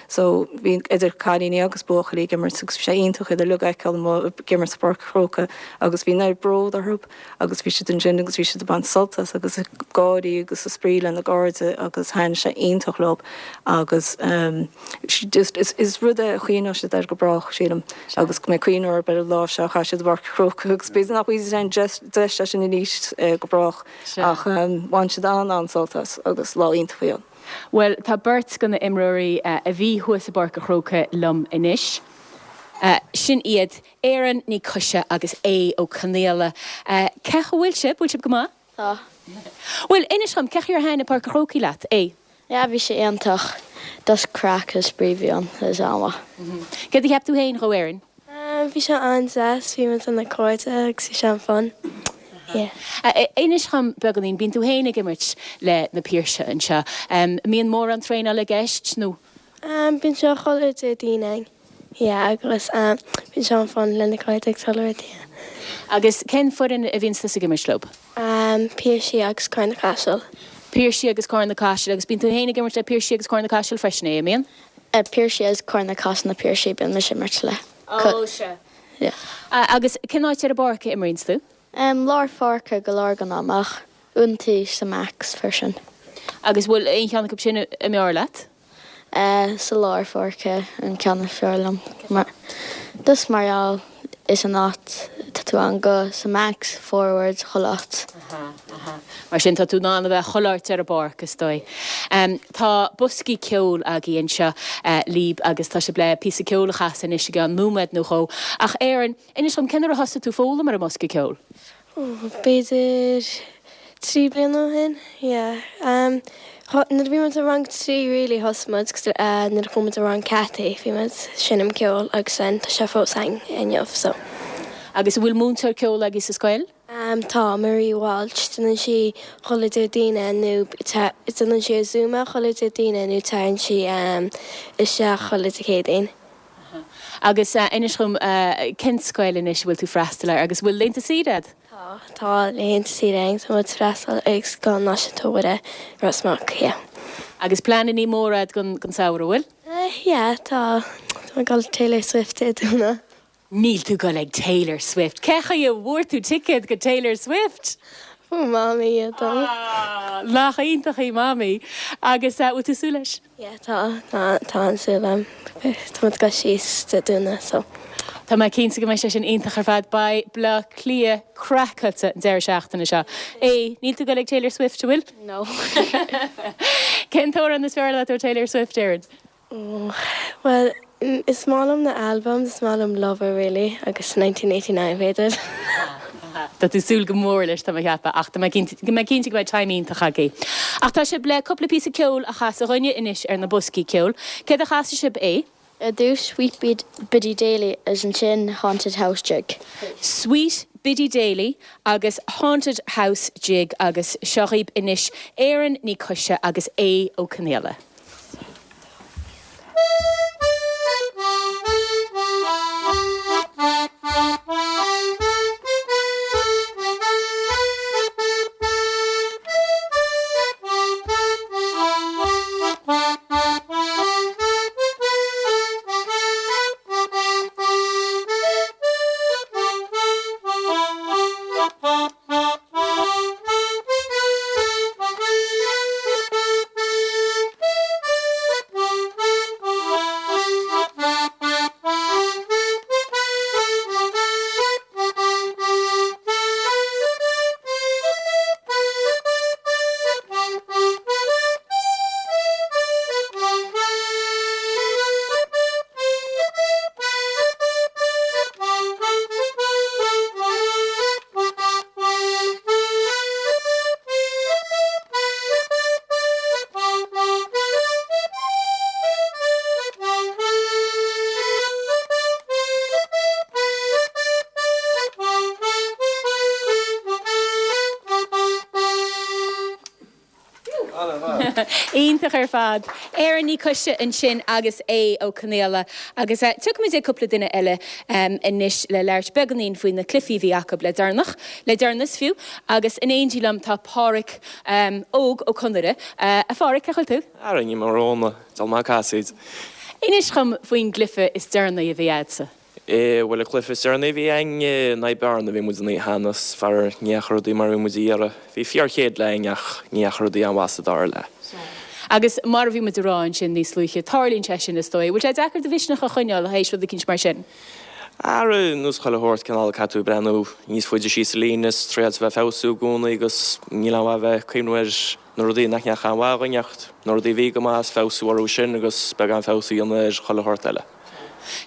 So bhí idir cailíní agus buachaillí ag imirt agus bhí sé iontach iad uilig a fheiceáil amuigh ag imirt i Páirc an Chrócaigh agus bhí an oiread bród orthu agus bhí siad ansin agus bhí siad ag baint sult as agus ag gáirí agus ag spraoi lena gcairde agus thaitin sé iontach leo agus agus just is is rud é a chuimhneoidh siad air go brách sílim agus go mbeidh cuimhne orthu ar an lá seo a chaith siad i bPáirc an Chrócaigh agus b'fhéidir nach bhfaighidh siad aon deis deis leis sin arís go brách ach bhain siad an-an-sult as agus lá iontach a bhí ann. Bhuel, tá beirt de na imreoirí a bhí thuas i bPáirc an Chrócaigh liom anois. Sin iad Erin Ní Choise agus Aodh Ó Conaola. Cén chaoi a bhfuil sibh? Bhfuil sibh go maith? Tá. Bhuel, inis dhom, cén chaoi ar thaitin Páirc an Chrócaigh leat, Aodh? Yeah, bhí sé iontach. Just craic is spraoi a bhí ann, is an-mhaith. Céard a cheap tú féin dhó, Erin? Bhí sé an-deas, bhí muid le cairde agus bhí sé an-fun. Yeah. Inis dhom beagáinín, bíonn tú féin ag imirt le na Piarsaigh anseo. Mbíonn mórán traenála i gceist nó? Bíonn sé chuile Déardaoin againn. Yeah, agus bíonn sé an-fun le na cairde ag dul yeah. Agus cén foireann a bhíonn tusa ag imirt leo? Piarsaigh agus Carna Caiseal. Piarsaigh agus Carna Caiseal agus bíonn tú féin ag imirt le Piarsaigh agus Carna Caiseal freisin é, an mbíonn? Piarsaigh agus Carna Caiseal na Piarsaigh bíonn mise imirt le. Ó, sea. Yeah. Agus cén áit ar an bpáirc a imríonns tú? Lár pháirce go leor den am ach uaireanta sa max freisin. Agus bhfuil aon cheann acu sin a mb'fhearr leat? Sa lár pháirce an ceann is fearr liom. Mar just mar gheall is an áit tá tú an go sa max forward chuile áit. Mar sin tá tú in ann a bheith chuile áit ar an bpáirc is dóigh. Tá boscaí ceoil agaibh anseo libh agus tá sibh le píosa ceoil a chasadh anois i gceann nóiméad nó dhó. Ach Erin, inis dom cén uair a thosaigh tú foghlaim ar an mbosca ceoil? B'fhéidir trí bliana ó shin, yeah. Nuair a bhí muid i rang trí really thosaigh muid agus nuair a chuaigh muid i rang Cathy bhí muid seinm ceoil agus then tá sé fós againn inniu so. Agus an bhfuil múinteoir ceoil agaibh sa scoil? Tá Marie Walsh, déanann sí chuile Déardaoin nó déanann sí ar Zoom chuile Déardaoin nó tagann sí isteach chuile Dé Céadaoin. Agus inis dom cén scoil anois a bhfuil tú freastal air agus bhfuil laethanta saoire agat? Tá, tá laethanta saoire againn, tá muid freastal ag Scoil Náisiúnta Mhuire, Ros Muc, yeah. Agus pleananna móra agat don don samhradh, bhfuil? Yeah, tá, tá mé ag dul Taylor Swift Dé Domhnaigh. Níl tú ag dul ag Taylor Swift. Cén chaoi a bhfuair tú ticéad go Taylor Swift? Ó Mamaí iad dom. Ah, nach iontach í Mamaí. Agus bhfuil tú súil leis? Yeah, tá, tá, tá an-súil agam. Tá muid ag dul síos Dé Domhnaigh, so. Tá mé cinnte go mbeidh sé sin iontach ar fad. Beidh Bleá Cliath craiceáilte an deireadh seachtaine seo. É, níl tú ag dul ag Taylor Swift, an bhfuil? No. Cén t-amhrán is fearr leat ó Taylor Swift, Erin? Oh, well, is maith liom na albums, is maith liom Lover really, agus nineteen eighty nine b'fhéidir. Tá tú súil go mór leis tá mé ag ceapadh ach tá mé cinnte go mbeidh cinnte go mbeidh time iontach agaibh. Ach tá sibh le cúpla píosa ceoil a chasadh dhúinne anois ar na boscaí ceoil. Céard a chasfaidh sibh é? Ar dtús Sweet Biddy Daly is ansin Haunted House Jig. Sweet Biddy Daly agus Haunted House Jig agus seo dhaoibh anois Erin Ní Choise agus Aodh Ó Conaola. Iontach ar fad. Erin Ní Choise ansin agus Aodh Ó Conaola. Agus tiocfaimid ag cúpla duine eile anois le labhairt beagáinín faoi na cluichí a bhí acu le deireanach, le deireanas fiú. Agus in éindí liom tá Páraic Óg Ó Conaire. A Pháraic, cén chaoi a bhfuil tú? Ara, ní mar Róna, dul maith casaoid. Inis dhom faoin gcluiche is deireanaí a bhí a'dsa. Eh, bhuel, an cluiche is deireanaí a bhí a'inn in aghaidh Bearna, bhí muid ina cheannas, faraor ní dheachaigh rudaí mar a bhí muid a iarraidh. Bhí fíor chéad leath a'inn ach ní dheachaigh rudaí an-mhaith sa dara leath. Agus mar a bhí muid a rá ansin níos luaithe, tarlaíonn sé sin is dóigh. Bhfuil sé deacair do mhisneach a choinneáil théis rud eicínt mar sin? Ar nós chuile shórt cineál caithfidh tú breathnú níos faide síos sa líne is triail a bheith ag feabhsú i gcónaí agus níl aon mhaith bheith ag cuimhniú ar na rudaí nach ndeachaigh an-mhaith againn ach na rudaí a bhí go maith is feabhsú orthu sin agus beagán feabhas a dhéanamh ar chuile shórt eile.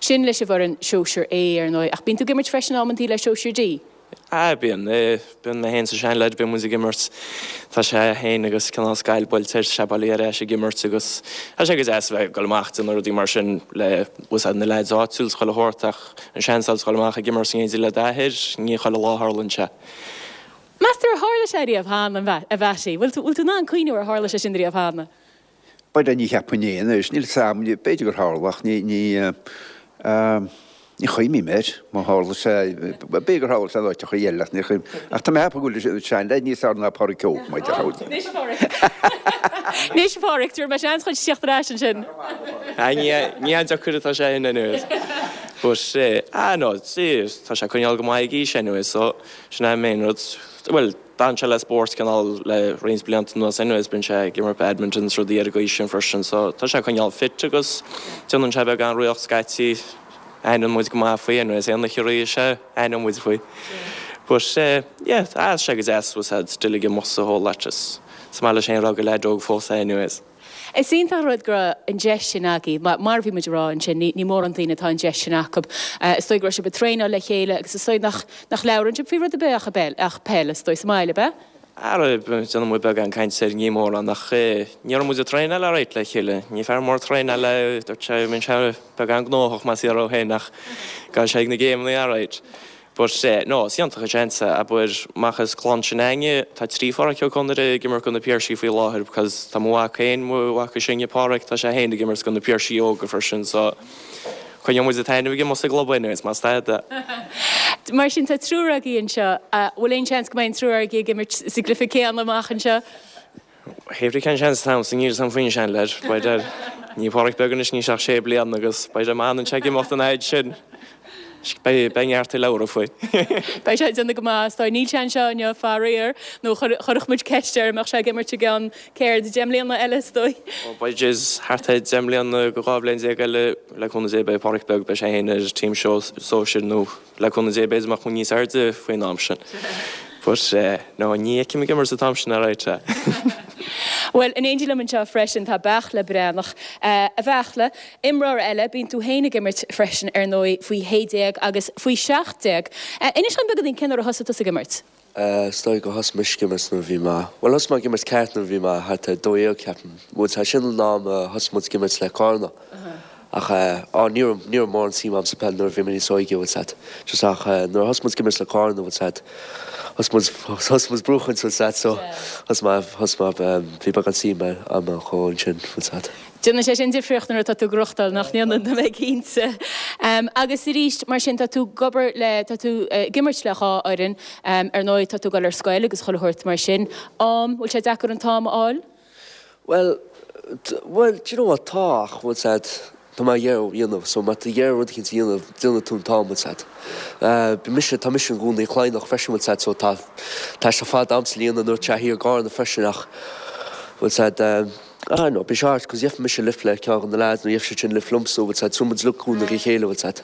Sin leis an bhfoireann Sóisear A ar ndóigh, ach bíonn tú ag imirt freisin amantaí le Sóisear D? Ah, bíonn. Bíonn mé féin is an seanleaid, bíonn muid ag imirt. Tá sé féin agus cineál scail buailte air, tá sé bailithe ar ais ag imirt agus tá sé go deas a bheith ag dul amach ag déanamh rudaí mar sin le bhfuil na leaids áitiúil is chuile shórt ach an seans a dhul amach ag imirt in éindí le d'athair, ní chuile lá a tharlaíonn sé. Meas tú ar tharla sé riamh cheana, a Mhattie? Bhfuil tú bhfuil tú in ann cuimhniú ar tharla sé sin riamh cheana? B'fhéidir, ní cheapfainn é anois, níl 'fhios a'm, b'fhéidir gur tharla ach ní, ní, ní chuimhním air, má tharla sé, b'fhéidir gur tharla sé in áiteacha eile ach ní chuimhním, ach tá mé ag ceapadh go bhfuil an seanleaid níos fearr ná Páraic Óg, mar a déarfá. Anois a Pháraic. Anois a Pháraic, tabharfaidh mé seans dhuit teacht ar ais ansin. Ah, ní, ní an-deacair atá sé sin anyways. But, ah no, see, tá sé ag coinneáil go maith ag aois anyways, so sin é an main rud. Bhuel, d'fhan sé le spórt cineál le roinnt blianta anuas anyways, bíonn sé ag imirt badminton is rudaí ar an gcaoi sin freisin so tá sé ag coinneáil fit agus déanann sé beagán rith scaití, aithneann muid go maith faoi anyways, aon oíche a rith sé, aithneann muid faoi. But yeah, tá sé go deas was had still ag imeacht sa whole lot is is maith leis féin rá gur leaid óg fós é anyways. Is iontach an rud go raibh an deis sin agaibh. Mar a bhí muid a rá ansin, ní mórán daoine atá an deis sin acu. Is dóigh go raibh sibh ag traenáil le chéile agus is dóigh nach nach labhrann sibh faoi rud ar bith ach peil, ach peil, is dóigh, sa mbaile, ab ea? Ara, déanann muid beagán cainte air, ní mórán, ach ní raibh muid ag traenáil alright le chéile. Ní fear mór traenáil é, dúirt sé, bíonn sé beagán gnóthach más fíor dó féin ach gabhfaidh sé ag na géimeanna alright. But no, is iontach an seans é, abair, amach as clann sin againne, tá trí Pháraic Ó Conaire ag imirt do na Piarsaigh faoi láthair because tá mo mhac féin, mo mhac is sine, Páraic, tá sé féin ag imirt do na Piarsaigh óga freisin so coinneoidh muid an t-ainm ag imeacht sa gclub anyways, más tada. Mar sin tá triúr agaibh anseo, bhfuil aon seans go mbeidh an triúr agaibh ag imirt sa gcluiche céanna amach anseo? Hé brí cén seans atá ann sa níl 'fhios a'm faoin seanleaid, b'fhéidir, níl Páraic beag anois, níl sé ach sé bliana agus b'fhéidir má fhanann sé ag imeacht an fhaid sin. Beidh neart ag labhairt faoi. Beidh sé ag déanamh go maith, is dóigh. Níl sé anseo inniu, faraor, nó chuirfeadh muid ceist air an mbeadh sé ag imirt i gceann, céard, deich mbliana eile, is dóigh. Ó, beidh, jeez, thart ar deich mbliana go dhá bhliain déag eile, le cúnamh Dé, beidh Páraic Beag, beidh sé féin ar team sóisir nó le cúnamh Dé b'fhéidir mbeadh muid níos airde faoin am sin. But, no, ní fheicim ag imirt an t-am sin alright. Bhuel, in éindí liom anseo freisin tá Beartla Breathnach. A Bheartla, imreoir eile, bíonn tú féin ag imirt freisin ar ndóigh faoi shé déag agus faoi seacht déag. Inis dom beagáinín cén uair a thosaigh tusa ag imirt? Is dóigh gur thosaigh mise ag imirt nuair a bhí mé, bhuel thosaigh mé ag imirt ceart nuair a bhí mé thart ar dó dhéag ceapaim. Bhuel tá sin an am a thosaigh muid ag imirt le Cárna. Ach á ní raibh, ní raibh mórán suim a'm sa peil nuair a bhí mé níos óige, bhfuil 's a'd. Just ach nuair a thosaigh muid ag imirt le Cárna, bhfuil 's a'd, thosaigh muid, thosaigh muid buachaint, bhfuil 's a'd, so thosaigh mé, thosaigh mé, bhí beagán suim a'm chomh ansin, bhfuil 's a'd. Déanann sé sin difríocht nuair atá tú ag gnóthachtáil, nach ndéanann, tá mé cinnte. Agus arís, mar sin, tá tú ag obair le, tá tú ag imirt le dhá fhoireann, ar ndóigh tá tú ag dul ar scoil agus chuile shórt mar sin. Am, bhfuil sé deacair an t-am a fháil? Bhuel, bhuel, do you know what, tá ach, bhfuil 's a'd, tá mé ag iarraidh a dhéanamh, so má tá ag iarraidh rud eicínt a dhéanamh, déanfaidh tú an t-am, bhfuil 's a'd. Bhí mise, tá mise i gContae Cladhnach freisin, bhfuil 's a'd, so tá, tá sé fada a'msa le dhéanamh nuair atá thiar i gCarna freisin ach, bhfuil 's a'd, I don't know, bíonn sé hard, 'cause gheobhaidh mise lift le ceann de na lads nó gheobhaidh siad sin lift liomsa, bhfuil 's a'd, so muid uilig cúnamh a chéile, bhfuil 's a'd.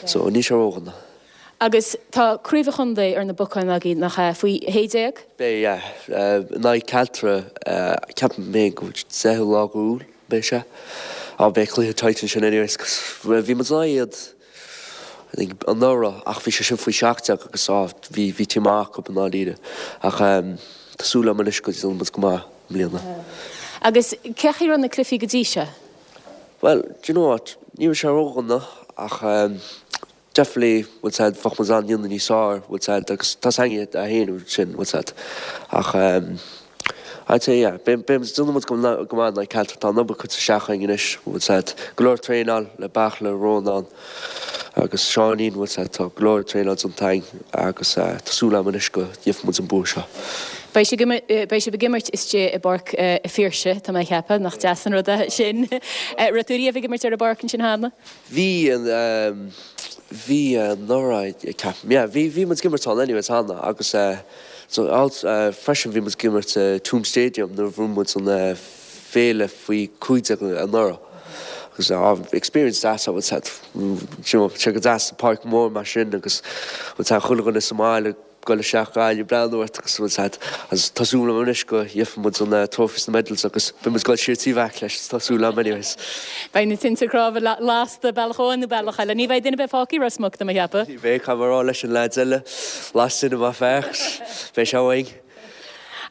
So, níl sé ródhona. Agus tá Craobh an Chontae ar na bacáin agaibh, nach ea? Faoi shé déag? Beidh, yeah. In aghaidh Caltra, ceapaim féin go bhfuil deichiú lá d'Iúil, beidh sé. Á, beidh cluiche tight ansin anyways, 'cause bhí muid in aghaidh iad, I think, anuraidh ach bhí sé sin faoi seacht déag agus á, bhí, bhí team maith acu i ndáiríre. Ach tá súil agam anois go ndéanfaidh muid go maith i mbliana. Agus cén chaoi a raibh na cluichí go dtí seo? Bhuel, do you know what, ní raibh sé ródhona ach definitely, bhfuil 's a'd, bheadh muid in ann déanamh níos fearr, bhfuil 's a'd, agus tá 's againn é féin sin, bhfuil 's a'd. Ach ehm, I'd say yeah, beidh, beidh, déanfaidh muid go go maith in aghaidh Caltra, tá an obair curtha isteach againn anois, bhfuil 's a'd, go leor traenáil le Beartla, Rónán agus Seáinín, bhfuil 's a'd, tá go leor traenáil déanta againn agus eh, tá súil agam anois go gheobhaidh muid an bua seo. Beidh sibh beidh sibh ag imirt istigh i bPáirc a' Phiarsaigh, tá mé ag ceapadh, nach deas an rud é sin. Raibh tú riamh ag imirt ar an bpáirc ansin cheana? Bhí, bhí anuraidh, ceapaim, yeah, bhí, bhí muid ag imirt ann anyways cheana agus so freisin bhí muid ag imirt i Tuam Stadium nuair a bhuaigh muid an féile faoi cúig déag anuraidh agus experience deas bhfuil a fhios agat sé go deas páirc mór mar sin agus bhfuil a fhios agat chuile dhuine sa mbaile ag goil isteach Gaillimh breathnú ort agus bhfuil a fhios agat agus tá súil agam anois go gheobhaidh muid an trophies na medals agus beidh muid ag goil siar Uíbh Eachach leis tá súil agam anyways. Beidh na tinte cnámha lasta bealach amháin nó bealach eile. Ní bheidh duine ar bith fágtha i Ros Muc do mo cheapadh. Ní bheidh, caithfidh mé a rá leis an leaids eile, las tine maith fear, beidh sé uainn.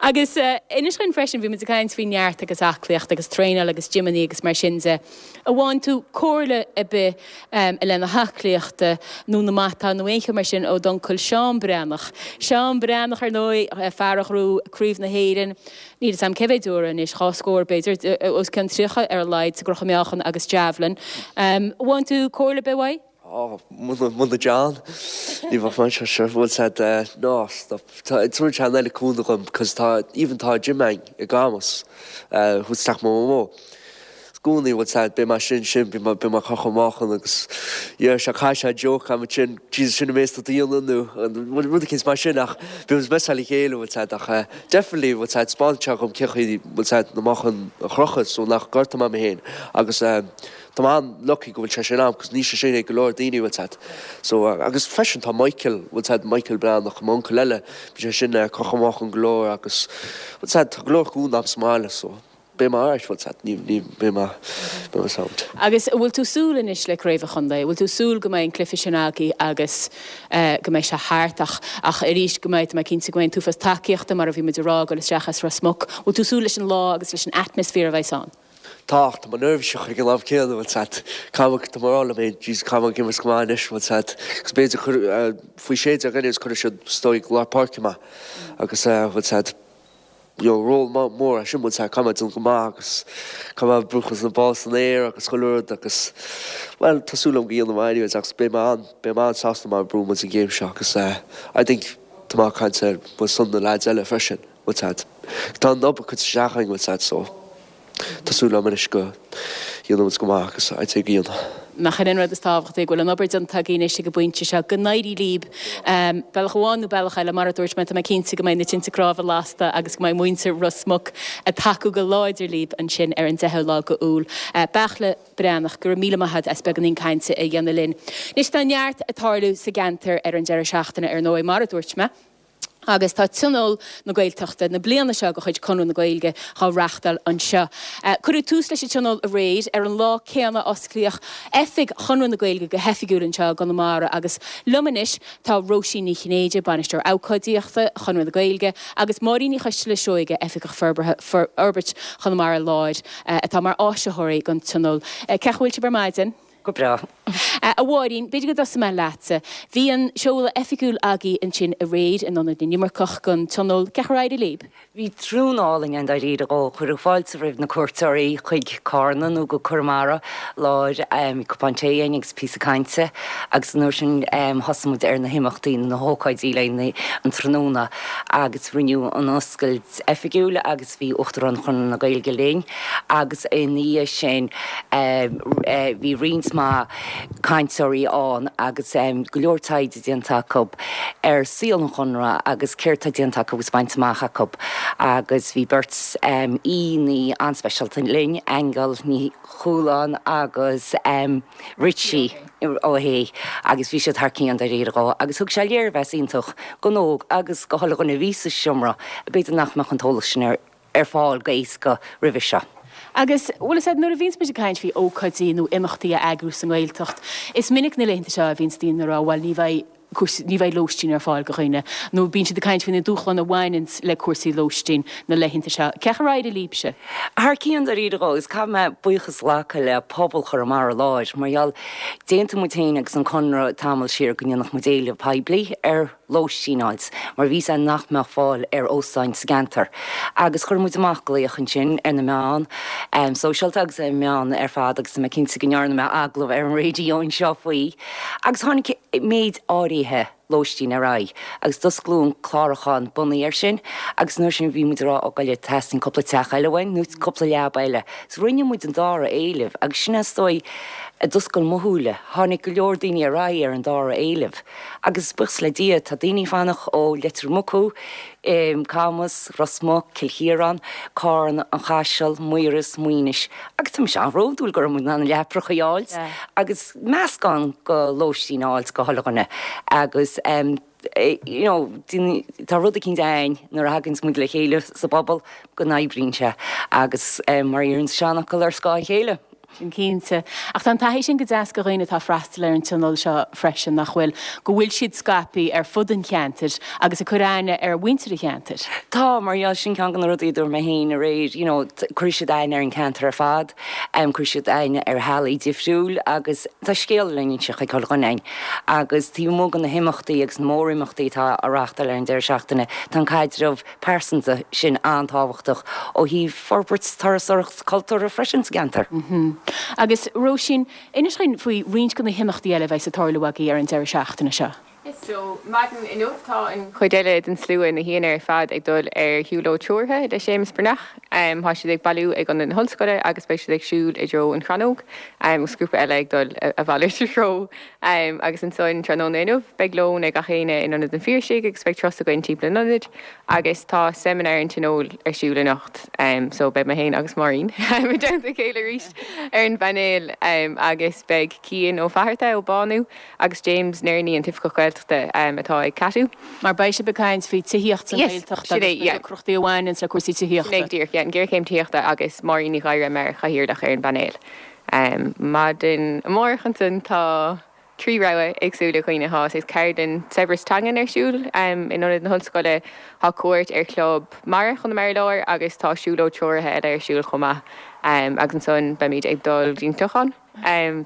Agus inis dhúinn freisin, bhí muid ag caint faoi neart agus aclaíocht agus traenáil agus gymeannaí agus mar sin de. An bhfaigheann tú comhairle ar bith i leith na haclaíochta nó na matáin nó aon cheo mar sin ó d'uncail Seán Breathnach? Seán Breathnach, ar ndóigh, fear a ghnóthaigh Craobh na hÉireann, níl 'fhios a'm cé mhéid uair anois, dhá scór b'fhéidir, os cionn tríocha ar a laghad sa gcrochadh meáchan agus javelin. An bhfaigheann tú comhairle ar bith uaidh? Ó, muna John, ní bheadh mé anseo, sure, bhfuil a fhios agat, no, stop, tá, tabharann sé an oiread cúnamh dhom, cos tá, even tá gym a'inn i gCamus, thuas teach mo mhamó. I gcónaí, bhfuil a fhios agat, beidh mé sin, sin, beidh mé, beidh mé ag crochadh meáchan agus, yeah, sé, caithfidh sé joke a'm ansin, Jesus, sin an méid atá tú a dhéanamh nó, rud eicínt mar sin ach bíonn muid messail le chéile, bhfuil a fhios agat, ach definitely, bhfuil a fhios agat, 'spáineann sé dhom cé chaoi, bhfuil a fhios agat, na meáchain a chrochadh so nach gortóidh mé mé féin agus eh, Tá mé an-lucky go bhfuil sé sin a'm cos níl sé sin ag go leor daoine bhfuil a fhios agat. So agus freisin tá Michael bhfuil a fhios agat Michael Breathnach m'uncail eile bhí sé sin ag crochadh meáchan go leor agus bhfuil a fhios agat tá go leor cúnamh a'm sa mbaile so beidh mé alright bhfuil a fhios agat ní ní beidh mé beidh mé sound. Agus an bhfuil tú súil anois le Craobh an Chontae? An bhfuil tú súil go mbeidh an cluiche sin agaibh agus go mbeidh sé thart ach ach arís go mbeidh tá mé cinnte go mbeidh an t-uafás tacaíochta mar a bhí muid a rá ag dul isteach as Ros Muc. Bhfuil tú súil leis an lá agus leis an atmaisféar a bheidh ann? Tá, ach tá mé neirbhíseach ag an am céanna, bhfuil a fhios agat. Caithfidh mé, tá mé ag rá liom féin, Jesus, caithfidh mé ag imirt go maith anois, bhfuil a fhios agat. Agus b'fhéidir cuir, faoi sé déag anyways, cuirfidh siad is dóigh lár páirce mé. Agus bhfuil a fhios agat, you know, ról mór é sin, bhfuil a fhios agat, caithfidh mé déanamh go maith agus caithfidh mé brúchadh na ball san aer agus chuile rud agus, bhuel, tá súil agam go dhéanfaidh mé anyways agus beidh mé an, beidh mé an-sásta má bhuann muid an game seo agus I think tá mé ag caint ar son na lads eile freisin, bhfuil a fhios agat. Tá an obair curtha isteach againn, bhfuil a fhios agat, so. Tá súil agam anois go dhéanfaidh muid go maith agus I'd say go dhéanfaidh. Nach in an rud is tábhachtaí, go bhfuil an obair déanta agaibh anois ag an bpointe seo, go n-éirí libh, bealach amháin nó bealach eile, mar a dúirt mé, tá mé cinnte go mbeidh na tinte cnámha lasta agus go mbeidh muintir Ros Muc ag tacú go láidir libh ansin ar an deichiú lá go Iúil. Beartla Breathnach, go raibh míle maith agat as beagáinín cainte a dhéanamh linn. Anois tá neart ag tarlú sa gceantar ar an deireadh seachtaine ar ndóigh, mar a dúirt mé. Agus tá Tionól na Gaeltachta na bliana seo de chuid Conradh na Gaeilge á reáchtáil anseo. Cuireadh tús leis an Tionól aréir, ar an lá céanna a osclaíodh oifig Chonradh na Gaeilge go hoifigiúil anseo i gConamara agus liom anois tá Róisín Ní Chinnéide, Bainisteoir Ócáidíochta Chonradh na Gaeilge agus Máirín Ní Choisteala Seoige, Oifigeach Forbartha Forbairt Chonamara Láir atá mar áisitheoirí don Tionól. Cén chaoi a bhfuil sibh ar maidin? Go breá. A Mháirín, b'fhéidir go dtosóidh mé leatsa. Bhí an seoladh oifigiúil agaibh ansin aréir in Ionad na nImirceach don Tionól. Cén chaoi ar éirigh libh? Bhí tráthnóna álainn ann dáiríre dhó. Cuireadh fáilte roimh na cuairteoirí chuig Cárna nó go Conamara Láir. Bhí cupán tae againn agus píosa cainte agus an uair sin thosaigh muid ar na himeachtaí nó na hócáidí le haghaidh an tráthnóna agus rinneadh an oscailt oifigiúil agus bhí Uachtarán Chonradh na Gaeilge linn agus ina dhiaidh sin bhí roinnt mhaith cainteoirí ann agus go leor taighde déanta acu ar saol an Chonartha agus céard tá déanta acu agus bainte amach acu agus bhí beirt aíonna an-speisialta linn, Aingeal Ní Chualáin agus Richie Ó hAodha agus bhí siad thar cionn dáiríre dhó agus thug sé léirmheas iontach don óg agus do chuile dhuine a bhí sa seomra, b'fhéidir nach mbeadh an t-eolas sin ar ar fáil go héasca roimhe seo. Agus, bhfuil a fhios agat, nuair a bhíonns muid ag caint faoi ócáidí nó imeachtaí a eagrú sa nGaeltacht, is minic na laethanta seo a bhíonns daoine ag rá, bhuel, ní bheidh cúrsaí, ní bheidh lóistín ar fáil do dhaoine, nó bíonn siad ag caint faoi na dúshláin a bhaineanns le cúrsaí lóistín na laethanta seo. Cén chaoi ar éirigh libhse? Thar cionn dáiríre dhó, agus caithfidh mé buíochas a ghlacadh le pobal Chonamara Láir, mar gheall, d'aontaigh muid féin agus an Conradh tamall siar go ndéanfadh muid éileamh poiblí ar lóistín a fháilt mar bhí 's a'inn nach mbeadh fáil ar óstáin sa gceantar agus chuir muid amach glaoch ansin ar na meáin sóisialta agus ar na meáin ar fad agus tá mé cinnte go ndearna mé agallamh ar an raidió anseo faoi agus tháinig méid áirithe lóistín ar aghaidh agus d'osclaíodh an clárúchán bunaithe air sin agus nuair sin bhí muid ag rá ó ghoile teastaíonn cúpla teach eile uainn nó cúpla leaba eile. So rinne muid an dara éileamh agus sin is dóigh a d'oscail mo shúile. Tháinig go leor daoine ar aghaidh ar an dara éileamh agus buíochas le Dia tá daoine ag fanacht ó Leitir Mucú, Camas, Ros Muc, Cill Chiaráin, Carna, An Caiseal, Maoras, Maínis agus tá mise an-bhródúil go raibh muid in ann na leapacha a fháilt agus meascán go lóistín a fháilt go chuile dhuine agus you know tá rud eicínt ann nuair a thaganns muid le chéile sa bpobal go n-oibríonn sé agus mar a deir an seanfhocal ar scáth a chéile. Sin cinnte. Ach tá an taithí sin go deas go dhaoine atá ag freastal ar an tionól seo freisin, nach bhfuil? Go bhfuil siad scaipthe ar fud an cheantair agus ag cur aithne ar mhuintir an cheantair. Tá, mar gheall, sin ceann de na rudaí a dúirt mé féin aréir, you know, cuirfidh siad aithne ar an cheantar ar fad, cuirfidh siad aithne ar theaghlaigh difriúil agus tá scéal le n-inse chuig chuile dhuine againn. Agus taobh amuigh de na himeachtaí agus na mórimeachtaí atá á reáchtáil ar an deireadh seachtaine, tá an caidreamh pearsanta sin an-tábhachtach ó thaobh forbairt turasóireacht cultúrtha freisin sa gceantar. Agus Róisín, inis dúinn faoi roinnt de na himeachtaí eile a bheidh ag tarlú agaibh ar an deireadh seachtaine seo. Yes, so maidin inniu tá an chuid eile den slua, na haíonna ar fad, ag dul ar shiúlóid treoraithe le Séamus Breathnach. Tá siad ag bailiú ag Ionad na hOllscoile agus beidh siad ag siúl i dtreo an Chrannóg agus grúpa eile ag dul a mhalairt treo. Agus ansan tráthnóna inniu beidh lón ag gach éinne in Ionad an Phiarsaigh agus beidh turas againn timpeall an ionaid agus tá seimineár an Tionóil ar siúl anocht so beidh mé féin agus Máirín i dteannta a chéile arís ar an bpainéal agus beidh Cian Ó Fatharta ó Bánú agus James Nerney an tOifigeach Gaeltachta atá ag Cadw. Mar beidh sibh ag caint faoi tithíocht sa Ghaeltacht agus na deacrachtaí a bhaineann le cúrsaí tithíochta. Sin é go díreach, yeah, an ghéarchéim tithíochta agus Máirín Ní Ghadhra mar chathaoirleach ar an bpainéal. Maidin amárach ansan tá trí rogha éagsúla ag daoine. Tá saghas ceardlann saibhreas teangan ar siúl in Ionad na hOllscoile, tá cuairt ar Chlub Mara Chonamara Láir agus tá siúlóid treoraithe eile ar siúl chomh maith. Agus ansan beimid ag dul go dtí an Clochán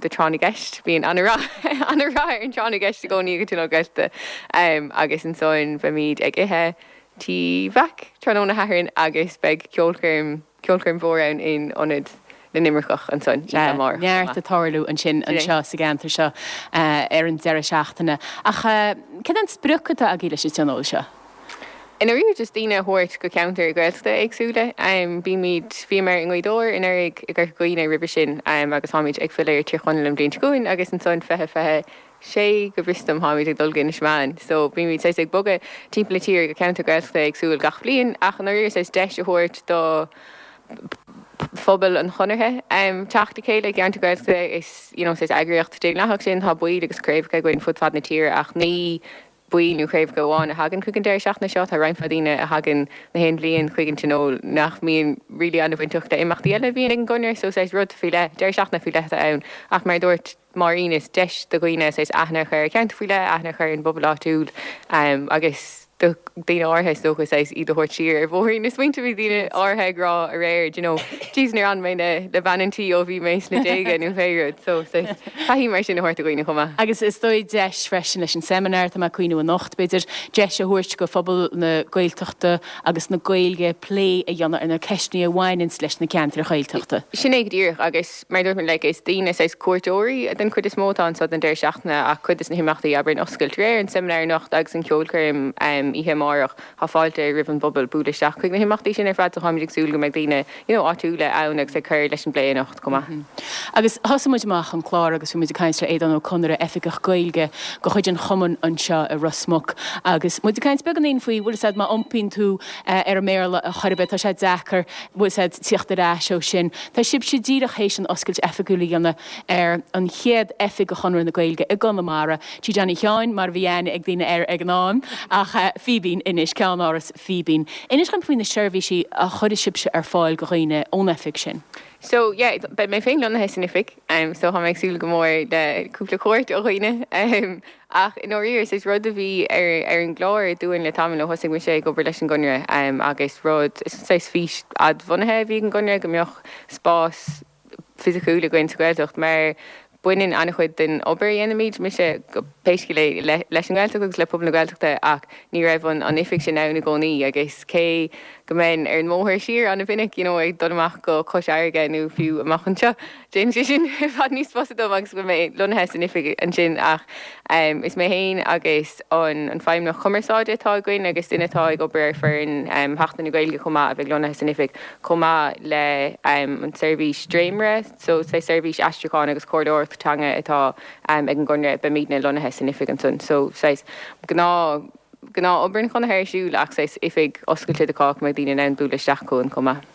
do tráth na gceist. Bíonn an-rath an-rath ar an tráth na gceist i gcónaí ag an Tionól Gaeltachta. Agus ansan beimid ag ithe Tí Mheaic tráthnóna Shathairn agus beidh ceolchoirm ceolchoirm mhór ann in Ionad na nImirceach ansan oíche amárach chomh maith. Neart ag tarlú ansin anseo sa gceantar seo ar an deireadh seachtaine. Ach céard é an sprioc atá agaibh leis an tionól seo? I ndáiríre just daoine a thabhairt go ceantair Gaeltachta éagsúla. Bímid, bhíomar i nGaoth Dobhair anuraidh, i gCorca Dhuibhne roimhe sin agus táimid ag filleadh ar Tír Chonaill an bhliain seo chugainn agus ansan fiche fiche sé go bhfios dom táimid ag dul go Inis Meáin. So bímid saghas ag bogadh timpeall na tíre go ceantar Gaeltachta éagsúil gach bliain ach i ndáiríre saghas deis a thabhairt do phobal an Chonartha teacht le chéile i gceantar Gaeltachta. Is you know saghas eagraíocht daonlathach sinn, tá baill agus craobhacha againn fud fad na tíre ach ní baill nó craobhacha amháin a thagann chuig an deireadh seachtaine seo, tá roinnt mhaith daoine a thagann na haon bhliain chuig an Tionól nach mbíonn really an-bhainteach le imeachtaí eile a bhíonn ag an gConradh so saghas rud faoi leith, deireadh seachtaine faoi leith atá ann ach mar a dúirt Máirín is deis do dhaoine saghas aithne a chur ar cheantar faoi leith, aithne a chur ar an bpobal áitiúil agus do dhaoine áirithe is dócha saghas iad a thabhairt siar ar bhóithrín na smaointe bhí daoine áirithe ag rá aréir do you know jeez níor fhan mé le le bean an tí ó bhí mé sna déaga nó pé rud so saghas taithí mar sin a thabhairt do dhaoine chomh maith. Agus is dóigh deis freisin leis an seimineár atá mé ag cuimhniú anocht b'fhéidir deis a thabhairt go phobal na Gaeltachta agus na Gaeilge plé a dhéanamh ar na ceisteanna a bhaineanns leis na ceantair Ghaeltachta. Sin é go díreach agus Mar a dúirt mé, like, is daoine saghas cuairteoirí den chuid is mó atá anso don deireadh seachtaine ach cuid des na himeachtaí, abair, an oscailt aréir, an seimineár anocht agus an cheolchoirm oíche amárach, tá fáilte roimh an bpobal bualadh isteach chuig na himeachtaí sin ar fad so táimid ag súil go mbeidh daoine, you know, áitiúla ann agus ag cur leis an bplé anocht chomh maith. Agus thosaigh muid amach an clár agus bhí muid ag caint le Aodhán Ó Conaire, Oifigeach Gaeilge de chuid an chumainn anseo i Ros Muc agus muid ag caint beagáinín faoi, bhfuil 'fhios a'd, má iompaíonn tú ar an mBéarla a chor ar bith, tá sé deacair, bhfuil 'fhios a'd, tíocht ar ais ó sin. Tá sibhse díreach théis an oscailt oifigiúil a dhéanamh ar an chéad oifig de Chonradh na Gaeilge i gConamara, Tigh Johnny Sheáin, mar a bhí aithne ag daoine air ag an am, ach Fíbín anois, Ceannáras Fíbín. Inis dom faoi na seirbhísí a chuirfidh sibhse ar fáil do dhaoine ón oifig sin. So yeah, beidh mé féin lonnaithe san oifig, so tá mé ag súil go mór le cúpla cuairt ó dhaoine. Ach i ndáiríre, is rud a bhí ar ar an gclár dúinn le tamall ó thosaigh mise ag obair leis an gConradh agus rud, is saghas fís fhadbhunaithe a bhí ag an gConradh go mbeadh spás fisiciúil againn sa Ghaeltacht mar baineann an-chuid den obair a dhéanaimid, mise pé scéal é, leis an nGaeltacht agus le pobal na Gaeltachta ach ní raibh an oifig sin ann i gcónaí agus cé go mbeinn ar an mbóthar siar an-mhinic, you know, ag dul amach go Cois Fharraige nó fiú amach anseo. Déanann sé sin i bhfad níos fusa dom agus go mbeidh lonnaithe san oifig ansin ach um, is mé féin agus an, an feidhmeannach cumarsáide atá againn agus duine atá ag obair ar foireann um, Sheachtain na Gaeilge chomh maith a bheidh lonnaithe san oifig chomh maith le um, an seirbhís Dréimire, so sé seirbhís aistriúcháin agus comhairleoireacht teanga atá um, ag an gConradh beimidne lonnaithe san oifig ansan. So saghas gnáth gnáth obair an Chonartha ar siúl ach saghas oifig oscailte do chách mbeidh daoine in ann bualadh isteach chugainn chomh maith.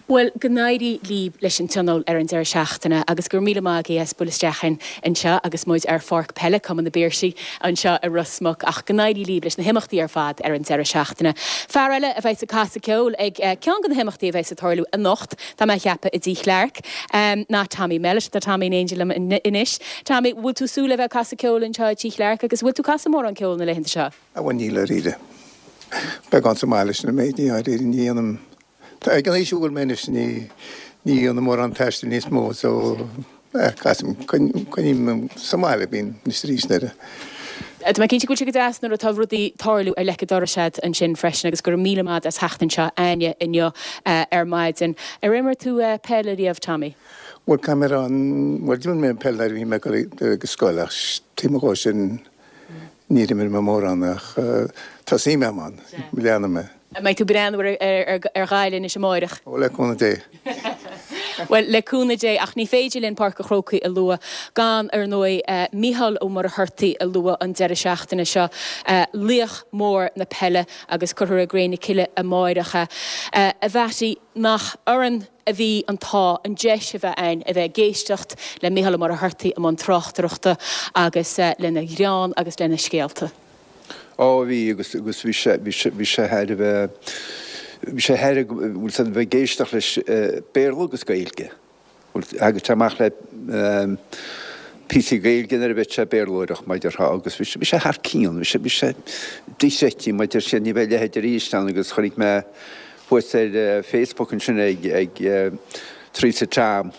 Bhuel, go n-éirí libh leis an tionól ar an deireadh seachtaine agus go raibh míle maith agaibh as bualadh isteach anseo agus muid ar Pháirc Peile Cumann na bPiarsaigh anseo i Ros Muc ach go n-éirí libh leis na himeachtaí ar fad ar an deireadh seachtaine. Fear eile a bheidh ag casadh ceoil ag eh, ceann de na himeachtaí a bheidh ag tarlú anocht, tá mé ag ceapadh i dTigh Chlarke, um, ná Tommy Mellett tá Tommy in éindí liom anois. Tommy, bhfuil tú súil le bheith casadh ceoil anseo i dTigh Chlarke agus bhfuil tú casadh mórán ceoil na laethanta seo? A bhain níl dáiríre. Beagán sa mbaile sin méid ní dáiríre ní dhéanaim Tá ag an aois a bhfuil mé anois ní ní dhéanaim mórán taistil níos mó so eh, casaim coinním sa mbaile bíonn níos arís nuair. Tá mé cinnte go bhfuil sé go deas nuair atá rudaí tarlú ar leic an dorais agat ansin freisin agus go raibh míle maith as theacht anseo againne inniu eh, ar maidin. Ar imir tú eh, peil riamh Tommy? Bhuel caithfidh mé bhuel d'imir mé peil nuair a bhí mé ag go scoil ach taobh amuigh de sin níor imir mé mórán ach tá suim agam ann, leanfaidh mé. Mbeidh tú breathnú ar Ghaillimh anois amárach. Ó le cúnamh Dé. Well le cúnamh Dé ach ní féidir linn Páirc an Chrócaigh a lua gan ar ndóigh uh, Mícheál Ó Muircheartaigh a lua an deireadh seachtaine seo uh, laoch mór na peile agus cuirfear i gcré na cille amárach é. Uh, a Mhattie nach orainn a bhí an t-ádh an deis a bheith ann a bheith ag éisteacht le Mícheál Ó Muircheartaigh i mbun tráchtaireachta agus uh, lena ghreann agus lena scéalta. Ó bhí agus agus bhí sé bhí sé bhí sé thar a bheith bhí sé thar bhfuil san bheith ag éisteacht leis Béarla agus Gaeilge. Agus tá amach le píosaí Gaeilge nuair a bheith sé Béarlóireach maidir thá agus bhí sé thar cionn, bhí sé bhí sé dochreidte maidir sin ní bheidh leithéid arís ann agus chonaic mé thuas ar Facebook ansin ag ag Teresa Tam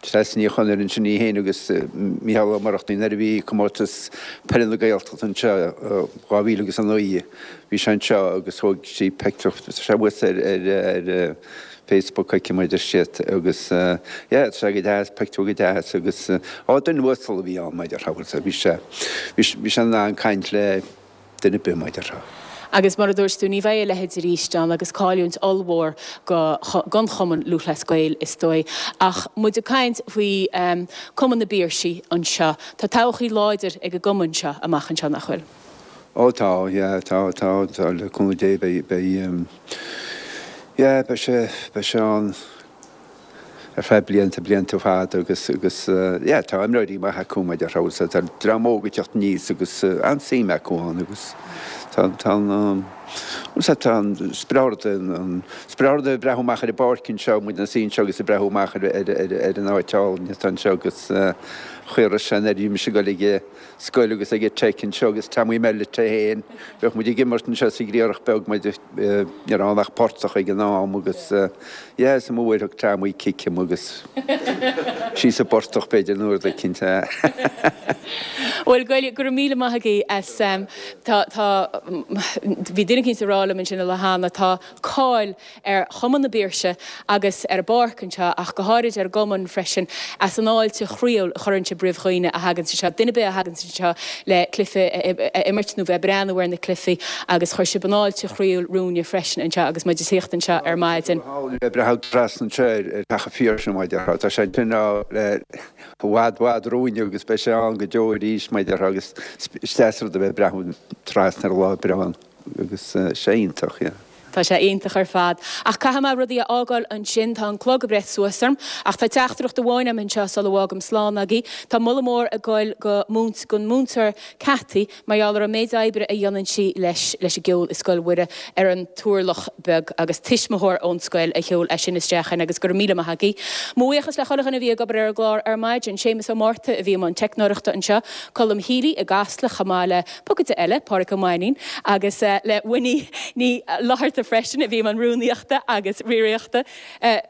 Treasa Ní Chonaire ansin í féin agus Mícheál Ó Muircheartaigh nuair a bhí comórtas peile na Gaeltachta anseo dhá mhíle agus a naoi bhí sé anseo agus thóg sí pictiúr sé thuas ar ar ar Facebook aici maidir siad agus yeah tá sé go deas pictiúr go deas agus á duine uasal a bhí ann maidir bhí sé bhí sé in ann caint le duine ar bith maidir. Agus mar a dúirt tú ní bheidh a leithéid arís ann agus cailliúint ollmhór go don Chumann Lúthchleas Gael is dóigh. Ach muid ag caint faoi um, Cumann na bPiarsaigh anseo. Tá todhchaí láidir ag an gcumann seo amach anseo nach bhfuil. Ó tá yeah, tá tá tá le cúnamh Dé beidh beidh um, yeah, beidh sé beidh sé ann ar feadh blianta blianta fada agus agus yeah, tá imreoirí maithe acu maidir so tá dream óg ag teacht aníos agus an-suim acu ann agus tá tá tá an sprid an sprid ag breathnú amach ar an bpáirc anseo muid ina suí anseo agus ag breathnú amach ar ar ar ar an áit álainn atá anseo agus chuir sé ar bhí mise ag dul ag scoil agus ag tech anseo agus Tommy Mellett é féin bheadh muid ag imirt anseo sa ghriarach beag muid ní raibh ach portach ag an am agus yeah is mo bhfuair Tommy cic agus sí sa bportach b'fhéidir nuair a cinnte. Well go go raibh míle maith agaibh as um, tá tá bhí duine éicint ag rá liom ansin a cheana tá cáil ar Chumann na bPiarsaigh agus ar an bpáirc anseo ach go háirid ar an gcumann freisin as an fháilte chroíúil a chuireann sibh roimh dhaoine a thagann seo duine ar bith a thagann seo le cluiche a imirt nó bheith breathnú ar na cluichí agus chuir sibh an fháilte chroíúil romhainne freisin anseo agus muid ag tíocht anseo ar maidin. Breathnú trasna anseo ar Theach an Phiarsaigh maidir tá sé sin le i bhfad bhfad romhainne agus beidh sé ann go deo arís maidir agus is deas rud a bheith breathnú trasna ar lá breá agus sé iontach. Yeah. Tá sé iontach ar fad. Ach caithfidh mé rudaí a fhágáil ansin tá an clog ag breith suas orm, ach tá teachtaireacht amháin agam anseo sula bhfágaim slán agaibh. Tá moladh mór ag goil go múint gon múinteoir Cathy mar gheall ar an méid oibre a dhéanann sí leis leis an gceol i Scoil Mhuire ar an Turlach Beag agus tuismitheoir ón scoil a sheol é sin isteach in agus go raibh míle maith agaibh. Mo bhuíochas le chuile dhuine a bhí ag obair ar an gclár ar maidin, Séamus Ó Márta a bhí i mbun teicneoireachta anseo, Colm Healy i gCasla chomh maith le pocaide eile, Pádraig Ó Mainnín, agus uh, le Winnie Ní Fhlatharta freisin a bhí i mbun rúnaíochta agus riarthóireachta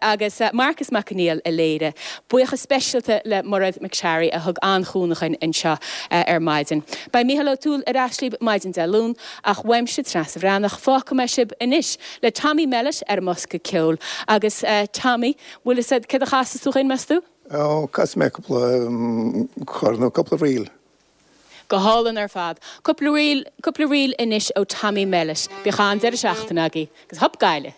agus Marcus Mac Conghail a léirigh. Buíochas speisialta le Mairéad McSharry a thug an-chúnamh dúinn anseo ar maidin. Beidh Mícheál O'Toole ar ais libh maidin Dé Luain ach uaimse Treasa Bhreathnach fágfaidh mé sibh anois le Tommy Mellett ar an mbosca ceoil agus Tommy, bhfuil fhios a'd céard a chasfas tú dhúinn meas tú? Ó, casfaidh mé cúpla cor nó cúpla ríl. Go hálainn ar fad. Cúpla ríl, cúpla ríl anois ó Tommy Mellett. Bíodh an-deireadh seachtaine agaibh agus hup Gaillimh!